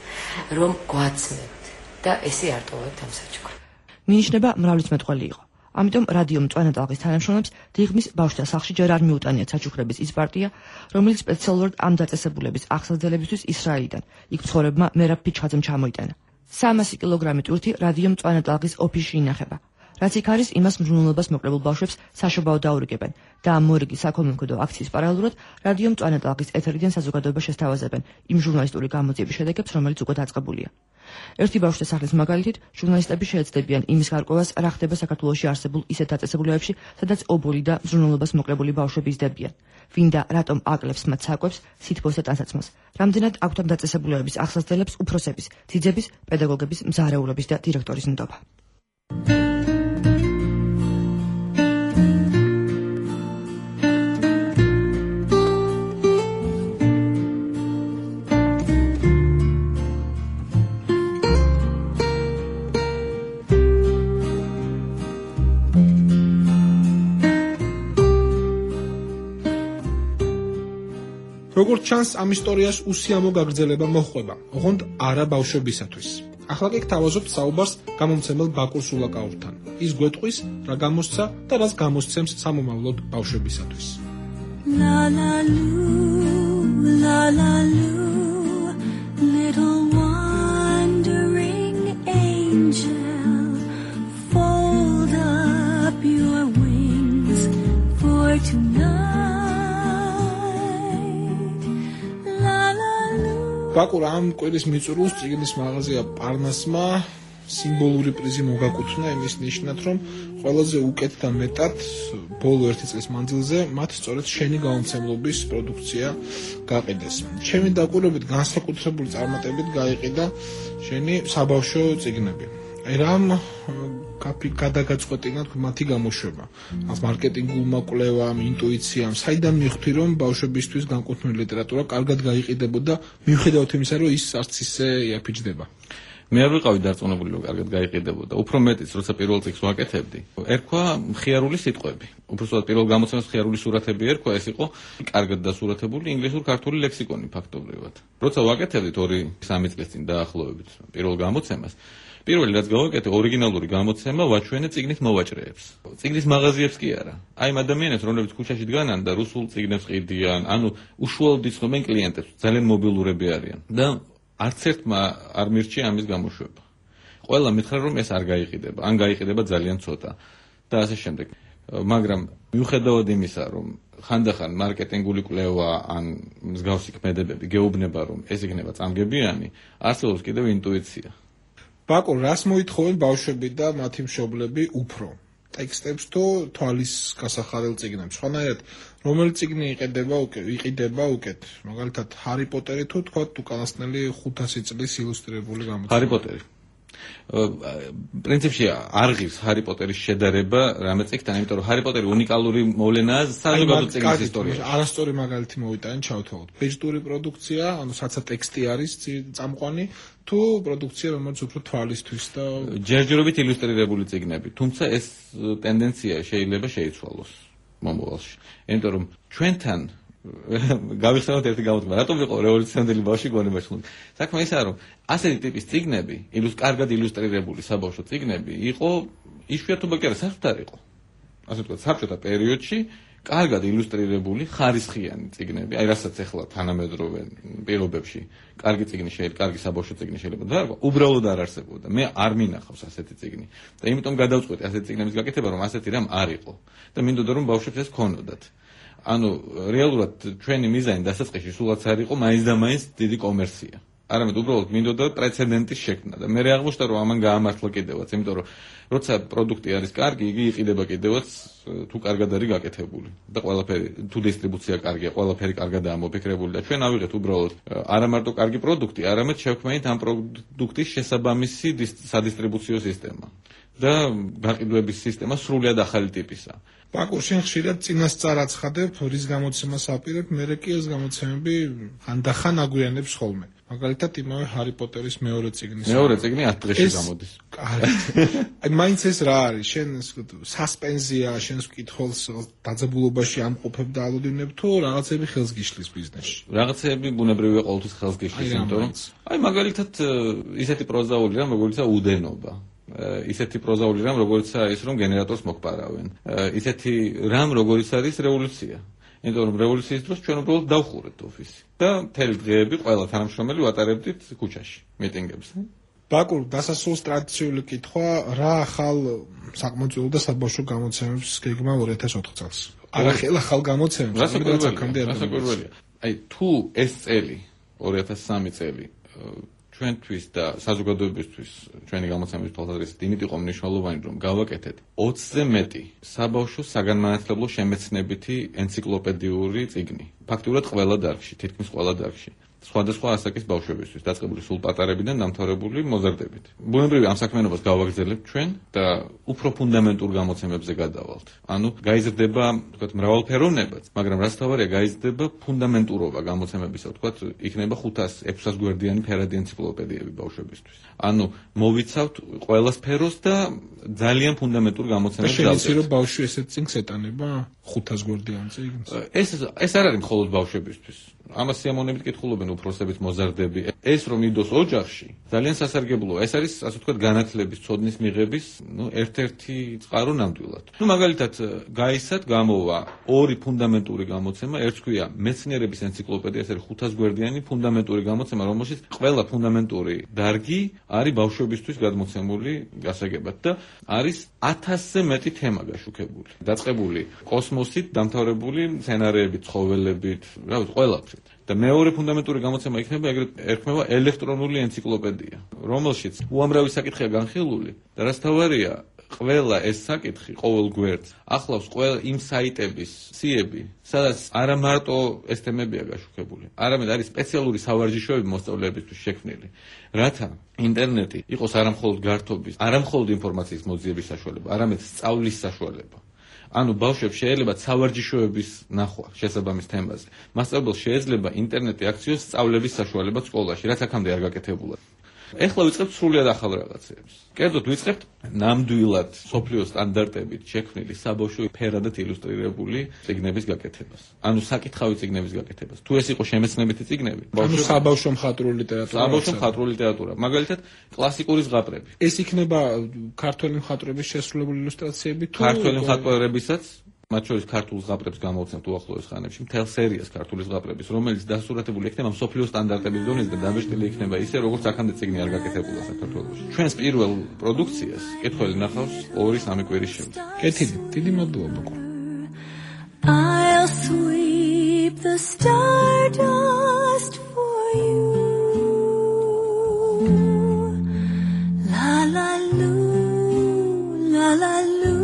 რომ გვაცნებთ და ესე არ ტოვებთ ამ საჩუქრებს. მინიშნება მრავლისმეტყველი იყო. ამიტომ რადიო მწვანე ტალღის თანამშრომლებს დიღმის ბავშვთა სახლში ჯერ არ მიუტანიათ საჩუქრების ის პარტია, რომელიც სპეციალურად ამ დაწესებულების აღსაძლებისთვის ისრაელიდან, იქ მცხოვრებმა მერაბ ფიჩხაძემ ჩამოიტანა. სამასი კილოგრამი ტვირთი რადიო მწვანე ტალღის ოფისში ინახება. რაც იქ არის, იმას მზრუნველობას მოკლებულ ბავშვებს საშობაო დაურიგებენ და ამ მორიგი საქველმოქმედო აქციის პარალელურად რადიო მწვანე ტალღის ეთერიდან საზოგადოებას შესთავაზებენ იმ ჟურნალისტური გამოძიების შედეგებს, რომელიც უკვე დაწყებულია. ერთი ბავშვთა სახლის მაგალითით, ჟურნალისტები შეეცდებიან იმის გარკვევას, რა ხდება საქართველოში არსებულ ისეთ დაწესებულებებში, სადაც ობოლი და მზრუნველობას მოკლებული ბავშვები იზრდებიან. ვინ და რატომ აკლებს მათ საკვებს, სითბოს და ტანსაცმელს. რამდენად აქვთ ამ დაწესებულებების აღსაზრდელებს უფროსების, ძიძების, პედაგოგების, მზარეულობის და დირექტორის ნდობა. როგორც ჩანს, ამ ისტორიას უსიამო გაგრძელება მოჰყვება, ოღონდ არა ბავშვებისათვის. ახლა კი გთავაზობთ საუბარს გამომცემელ ბაკურ სულაკაურთან. ის გვეტყვის, რა გამოსცა და რას გამოსცემს სამომავლოდ ბავშვებისათვის. La la loo, la la loo, little wandering angel, fold up your wings for tonight. ბაკურ ამ კვირის მიწურულს წიგნის მაღაზია პარნასმა სიმბოლური პრიზი მოგაკუთვნა იმის ნიშნად, რომ ყველაზე უკეთ და მეტად ბოლო ერთი წლის მანძილზე მათ სწორედ შენი გამომცემლობის პროდუქცია გაყიდეს. ჩემი დაკვირვებით განსაკუთრებული წარმატებით გაიყიდა შენი საბავშვო წიგნები. აი რამ გადაგაწყვეტინა მათი გამოშვება. ამ მარკეტინგულმა კვლევამ, ინტუიციამ, საიდან მიხვდი, რომ ბავშვებისთვის განკუთვნილი ლიტერატურა კარგად გაიყიდებოდა, მიუხედავად იმისა, რომ ის არც ისე იაფიჯდება. მე არ ვიყავი დარწმუნებული, რომ კარგად გაიყიდებოდა. უფრო მეტიც, როცა პირველ წიგნს ვაკეთებდი, ერქვა მხიარული სიტყვები. უბრალოდ პირველ გამოცემას მხიარული სურათები ერქვა, ეს იყო კარგად დასურათებული ინგლისურ-ქართული ლექსიკონი ფაქტობრივად. როცა ვაკეთებდით ორი სამი წლის წინ დაახლოებით პირველ გამოცემას, პირველი რაც გავაკეთე, ორიგინალური გამოცემა ვაჩვენე წიგნით მოვაჭრეებს. წიგნის მაღაზიებს კი არა. აი ამ ადამიანებს, რომლებიც ქუჩაში დგანან და რუსულ წიგნებს ყიდიან, ანუ უშუალოდ იცნობენ კლიენტებს, ძალიან მობილურები არიან და არც ერთმა არ მირჩია ამის გამოშვება. ყველა მითხრა, რომ ეს არ გაიყიდება, ან გაიყიდება ძალიან ცოტა და ასე შემდეგ. მაგრამ მიუხედავად იმისა, რომ ხანდახან მარკეტინგული კვლევა ან მსგავსი ქმედებები გეუბნება, რომ ეს იქნება წამგებიანი, არსებობს კიდევ ინტუიცია. ბაკურ, რას მოითხოვენ ბავშვები და მათი მშობლები უფრო? ტექსტებს თუ თვალის გასახარელ წიგნებს? სხვანაირად, რომელი წიგნი იყიდება უკეთ, იყიდება უკეთ? მაგალითად, ჰარი პოტერი თუ თქვა უკანასკნელი ხუთასი წლის ილუსტრირებული გამოცემა? ჰარი პოტერი. პრინციპში არღის ჰარი პოტერის შედარება რამე წიგნთან, იმიტომ რომ ჰარი პოტერი უნიკალური მოვლენაა საზოგადო წიგნის ისტორიაში. არასწორი მაგალითი მოვიტანე, ჩავთვალოთ. ბეჯტური პროდუქცია, ანუ საცა ტექსტი არის წამყვანი, თუ პროდუქცია, რომელიც უფრო თვალისთვის და ჯერჯერობით ილუსტრირებული წიგნები. თუმცა ეს ტენდენცია შეიძლება შეიცვალოს მომავალში. იმიტომ რომ ჩვენთან გავიხსენოთ ერთი გამოთქმა, რატომ ვიყო რევოლუციონერი ბავშვი გონებაში ხუნ. საქმე ისაა, რომ ასეთი ტიპის წიგნები, ილუს კარგად ილუსტრირებული საბავშვო წიგნები იყო იშვიათობა კი არა, საერთოდ არ იყო. ასე ვთქვათ, საბჭოთა პერიოდში კარგად ილუსტრირებული ხარისხიანი წიგნები, აი რასაც ახლა თანამედროვე პირობებში კარგი წიგნი შეიძლება, კარგი საბავშვო წიგნი შეიძლება და რა, უბრალოდ არ არსებობდა. მე არ მინახავს ასეთი წიგნი. და იმიტომ გადავწყვეტი ასეთი წიგნების გაკეთება, რომ ასეთი რამ არ იყო. და მინდოდა რომ ბავშვებს ეს ქონოდათ. ანუ რეალურად ჩვენი მიზანი დასაწყისში სულაც არ იყო მაინც და მაინც დიდი კომერცია. არამედ უბრალოდ მინდოდა პრეცედენტის შექმნა და მე აღმოჩნდა რომ ამან გაამართლა კიდევაც, იმიტომ რომ როცა პროდუქტი არის კარგი, იგი იყიდება კიდევაც თუ კარგად არის გაკეთებული და ყველაფერი თუ დისტრიბუცია კარგია, ყველაფერი კარგადაა მოფიქრებული და ჩვენ ავიღეთ უბრალოდ არა მარტო კარგი პროდუქტი, არამედ შევქმნით ამ პროდუქტის შესაბამისი სადისტრიბუციო სისტემა და გაყიდვების სისტემა სრულიად ახალი ტიპისა. ბაკურ, შენ ხშირად წინასწარ აცხადებ, რის გამოცემას აპირებ, მერე კი ეს გამოცემები ხანდახან აგვიანებს ხოლმე. მაგალითად, იმავე ჰარი პოტერის მეორე წიგნის. მეორე წიგნი ათ დღეში გამოდის. აი, მაინც ეს რა არის? შენ სასპენზია, შენს მკითხველს დაძაბულობაში ამყოფებ და ალოდინებ თუ რაღაცები ხელს გიშლის ბიზნესში? რაღაცები ბუნებრივია ყოველთვის ხელს გიშლის, იმიტომ რომ აი მაგალითად ისეთი პროზაული რამ, როგორიცაა უდენობა. ისეთი პროზაული რამ, როგორიცაა ის, რომ გენერატორს მოგპარავენ. ისეთი რამ, როგორიც არის რევოლუცია. იმიტომ რომ რევოლუციის დროს ჩვენ უბრალოდ დავხურეთ ოფისი და მთელი დღეები ყველა თანამშრომელი ვატარებდით ქუჩაში მიტინგებს. ბაკურ დასასრულს ტრადიციული კითხვა, რა ახალ საკმაოდ და საბავშვო გამოცემებს გეგმა ორი ათას ოთხ წელს? არახელ ახალ გამოცემებს, რომელიც აქამდე არ გასაკვირველია. აი თუ ეს წელი ორი ათას სამი წელი ჩვენთვის და საზოგადოებისთვის ჩვენი გამოცემების თვალსაზრისით იმით იყო მნიშვნელოვანი, რომ გავაკეთეთ ოცზე მეტი საბავშვო საგანმანათლებლო შემეცნებითი ენციკლოპედიური წიგნი. ფაქტურად ყველა დარგში, თითქმის ყველა დარგში. სხვადასხვა ასაკის ბავშვებისთვის, დაწყებული სულ პატარებიდან დამთავრებული მოზარდებით. ბუნებრივია ამ საქმიანობას გავაგრძელებთ ჩვენ და უფრო ფუნდამენტურ გამოცემებზე გადავალთ. ანუ გაიზრდება, ვთქვათ, მრავალფეროვნებაც, მაგრამ რაც თავარია, გაიზრდება ფუნდამენტურობა გამოცემებისა, ვთქვათ, იქნება ხუთას ექვსას გვერდიანი ფერადი ენციკლოპედიები ბავშვებისთვის. ანუ მოვიცავთ ყველა სფეროს და ძალიან ფუნდამენტურ გამოცემებს დავწერთ. და შეიძლება რომ ბავშვი ესეთ წიგნს ეტანება ხუთას გვერდიან წიგნს. ეს ეს არ არის მხოლოდ ბავშვებისთვის. ამას სიამოვნებით კითხულობენ უფროსებით მოზარდები. ეს რომ იდოს ოჯახში, ძალიან სასარგებლოა. ეს არის, ასე ვთქვათ, განათლების, ცოდნის მიღების, ნუ, ერთ-ერთი წყარო ნამდვილად. ნუ მაგალითად, გაისად გამოვა ორი ფუნდამენტური გამოცემა, ერთს ქვია მეცნიერების ენციკლოპედია, ეს არის ხუთას გვერდიანი ფუნდამენტური გამოცემა, რომელშიც ყველა ფუნდამენტური დარგი არის ბავშვებისთვის გადმოცემული გასაგებად და არის ათასზე მეტი თემა გაშუქებული. დაწყებული კოსმოსით, დამთავრებული მცენარეებით, ცხოველებით, რა ვიცი, ყველაფრით. და მეორე ფუნდამენტური გამოცემა იქნება ეგრეთ ერქმევა ელექტრონული ენციკლოპედია, რომელშიც უამრავი საკითხია განხილული და რაც თავარია, ყველა ეს საკითხი ყოველ გვერდს ახლავს ყველა იმ საიტების სიები, სადაც არა მარტო ეს თემებია გაშუქებული, არამედ არის სპეციალური სავარჯიშოები მოსწავლეებისთვის შექმნილი, რათა ინტერნეტი იყოს არა მხოლოდ გართობის, არა მხოლოდ ინფორმაციის მოძიების საშუალება, არამედ სწავლის საშუალება. ანუ ბავშვებს შეიძლება სავარჯიშოების ნახვა შესაბამის თემაზე. მასწავლებელს შეიძლება ინტერნეტი აქციოს სწავლების საშუალება სკოლაში, რაც აქამდე არ გაკეთებულა. ეხლა ვიწყებთ სრულიად ახალ რაღაცებს. კერძოდ ვიწყებთ ნამდვილად სოფლიო სტანდარტებით შექმნილი საბავშვო ფერადად ილუსტრირებული წიგნების გაკეთებას. ანუ საკითხავი წიგნების გაკეთებას. თუ ეს იყო შემეცნებითი წიგნები, ანუ საბავშვო მხატვრული ლიტერატურა. საბავშვო მხატვრული ლიტერატურა. მაგალითად, კლასიკური ზღაპრები. ეს იქნება ქართველი მხატვრების შესრულებული ილუსტრაციები თუ ქართველი მხატვრებისაც მათ შორის ქართულ ზღაპრებს გამოვცემთ უახლოეს ხანებში, მთელ სერიას ქართული ზღაპრების, რომელიც დასურათებული იქნება მსოფლიო სტანდარტების დონეზე და დამბეჭდილი იქნება ისე, როგორც აქამდე წიგნი არ გაკეთებულა საქართველოში. ჩვენს პირველ პროდუქციას კითხველი ნახავს ორი სამი კვირის შემდეგ. კეთილი, დიდი მადლობა. I'll sweep the stardust for you. La la lu, la la lu.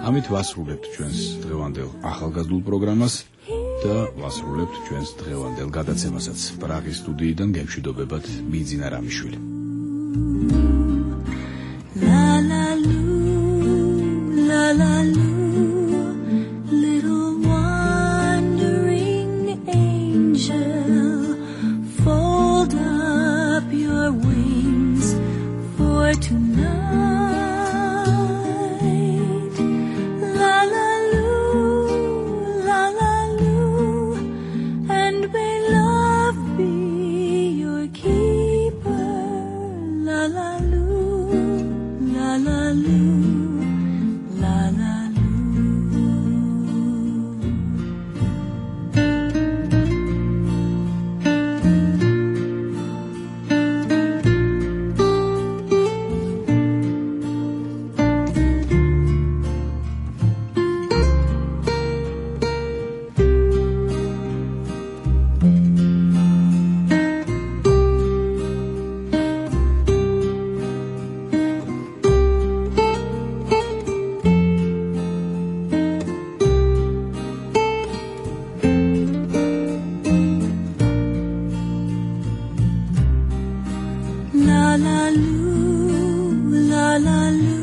ამით ვასრულებთ ჩვენს დღევანდელ ახალგაზრდულ პროგრამას და ვასრულებთ ჩვენს დღევანდელ გადაცემასაც. პრაღის სტუდიიდან გემშვიდობებათ მიძინა რამიშვილი. La la lu, la la lu, little wandering angel, fold up your wings for tonight. La la lu, la la lu.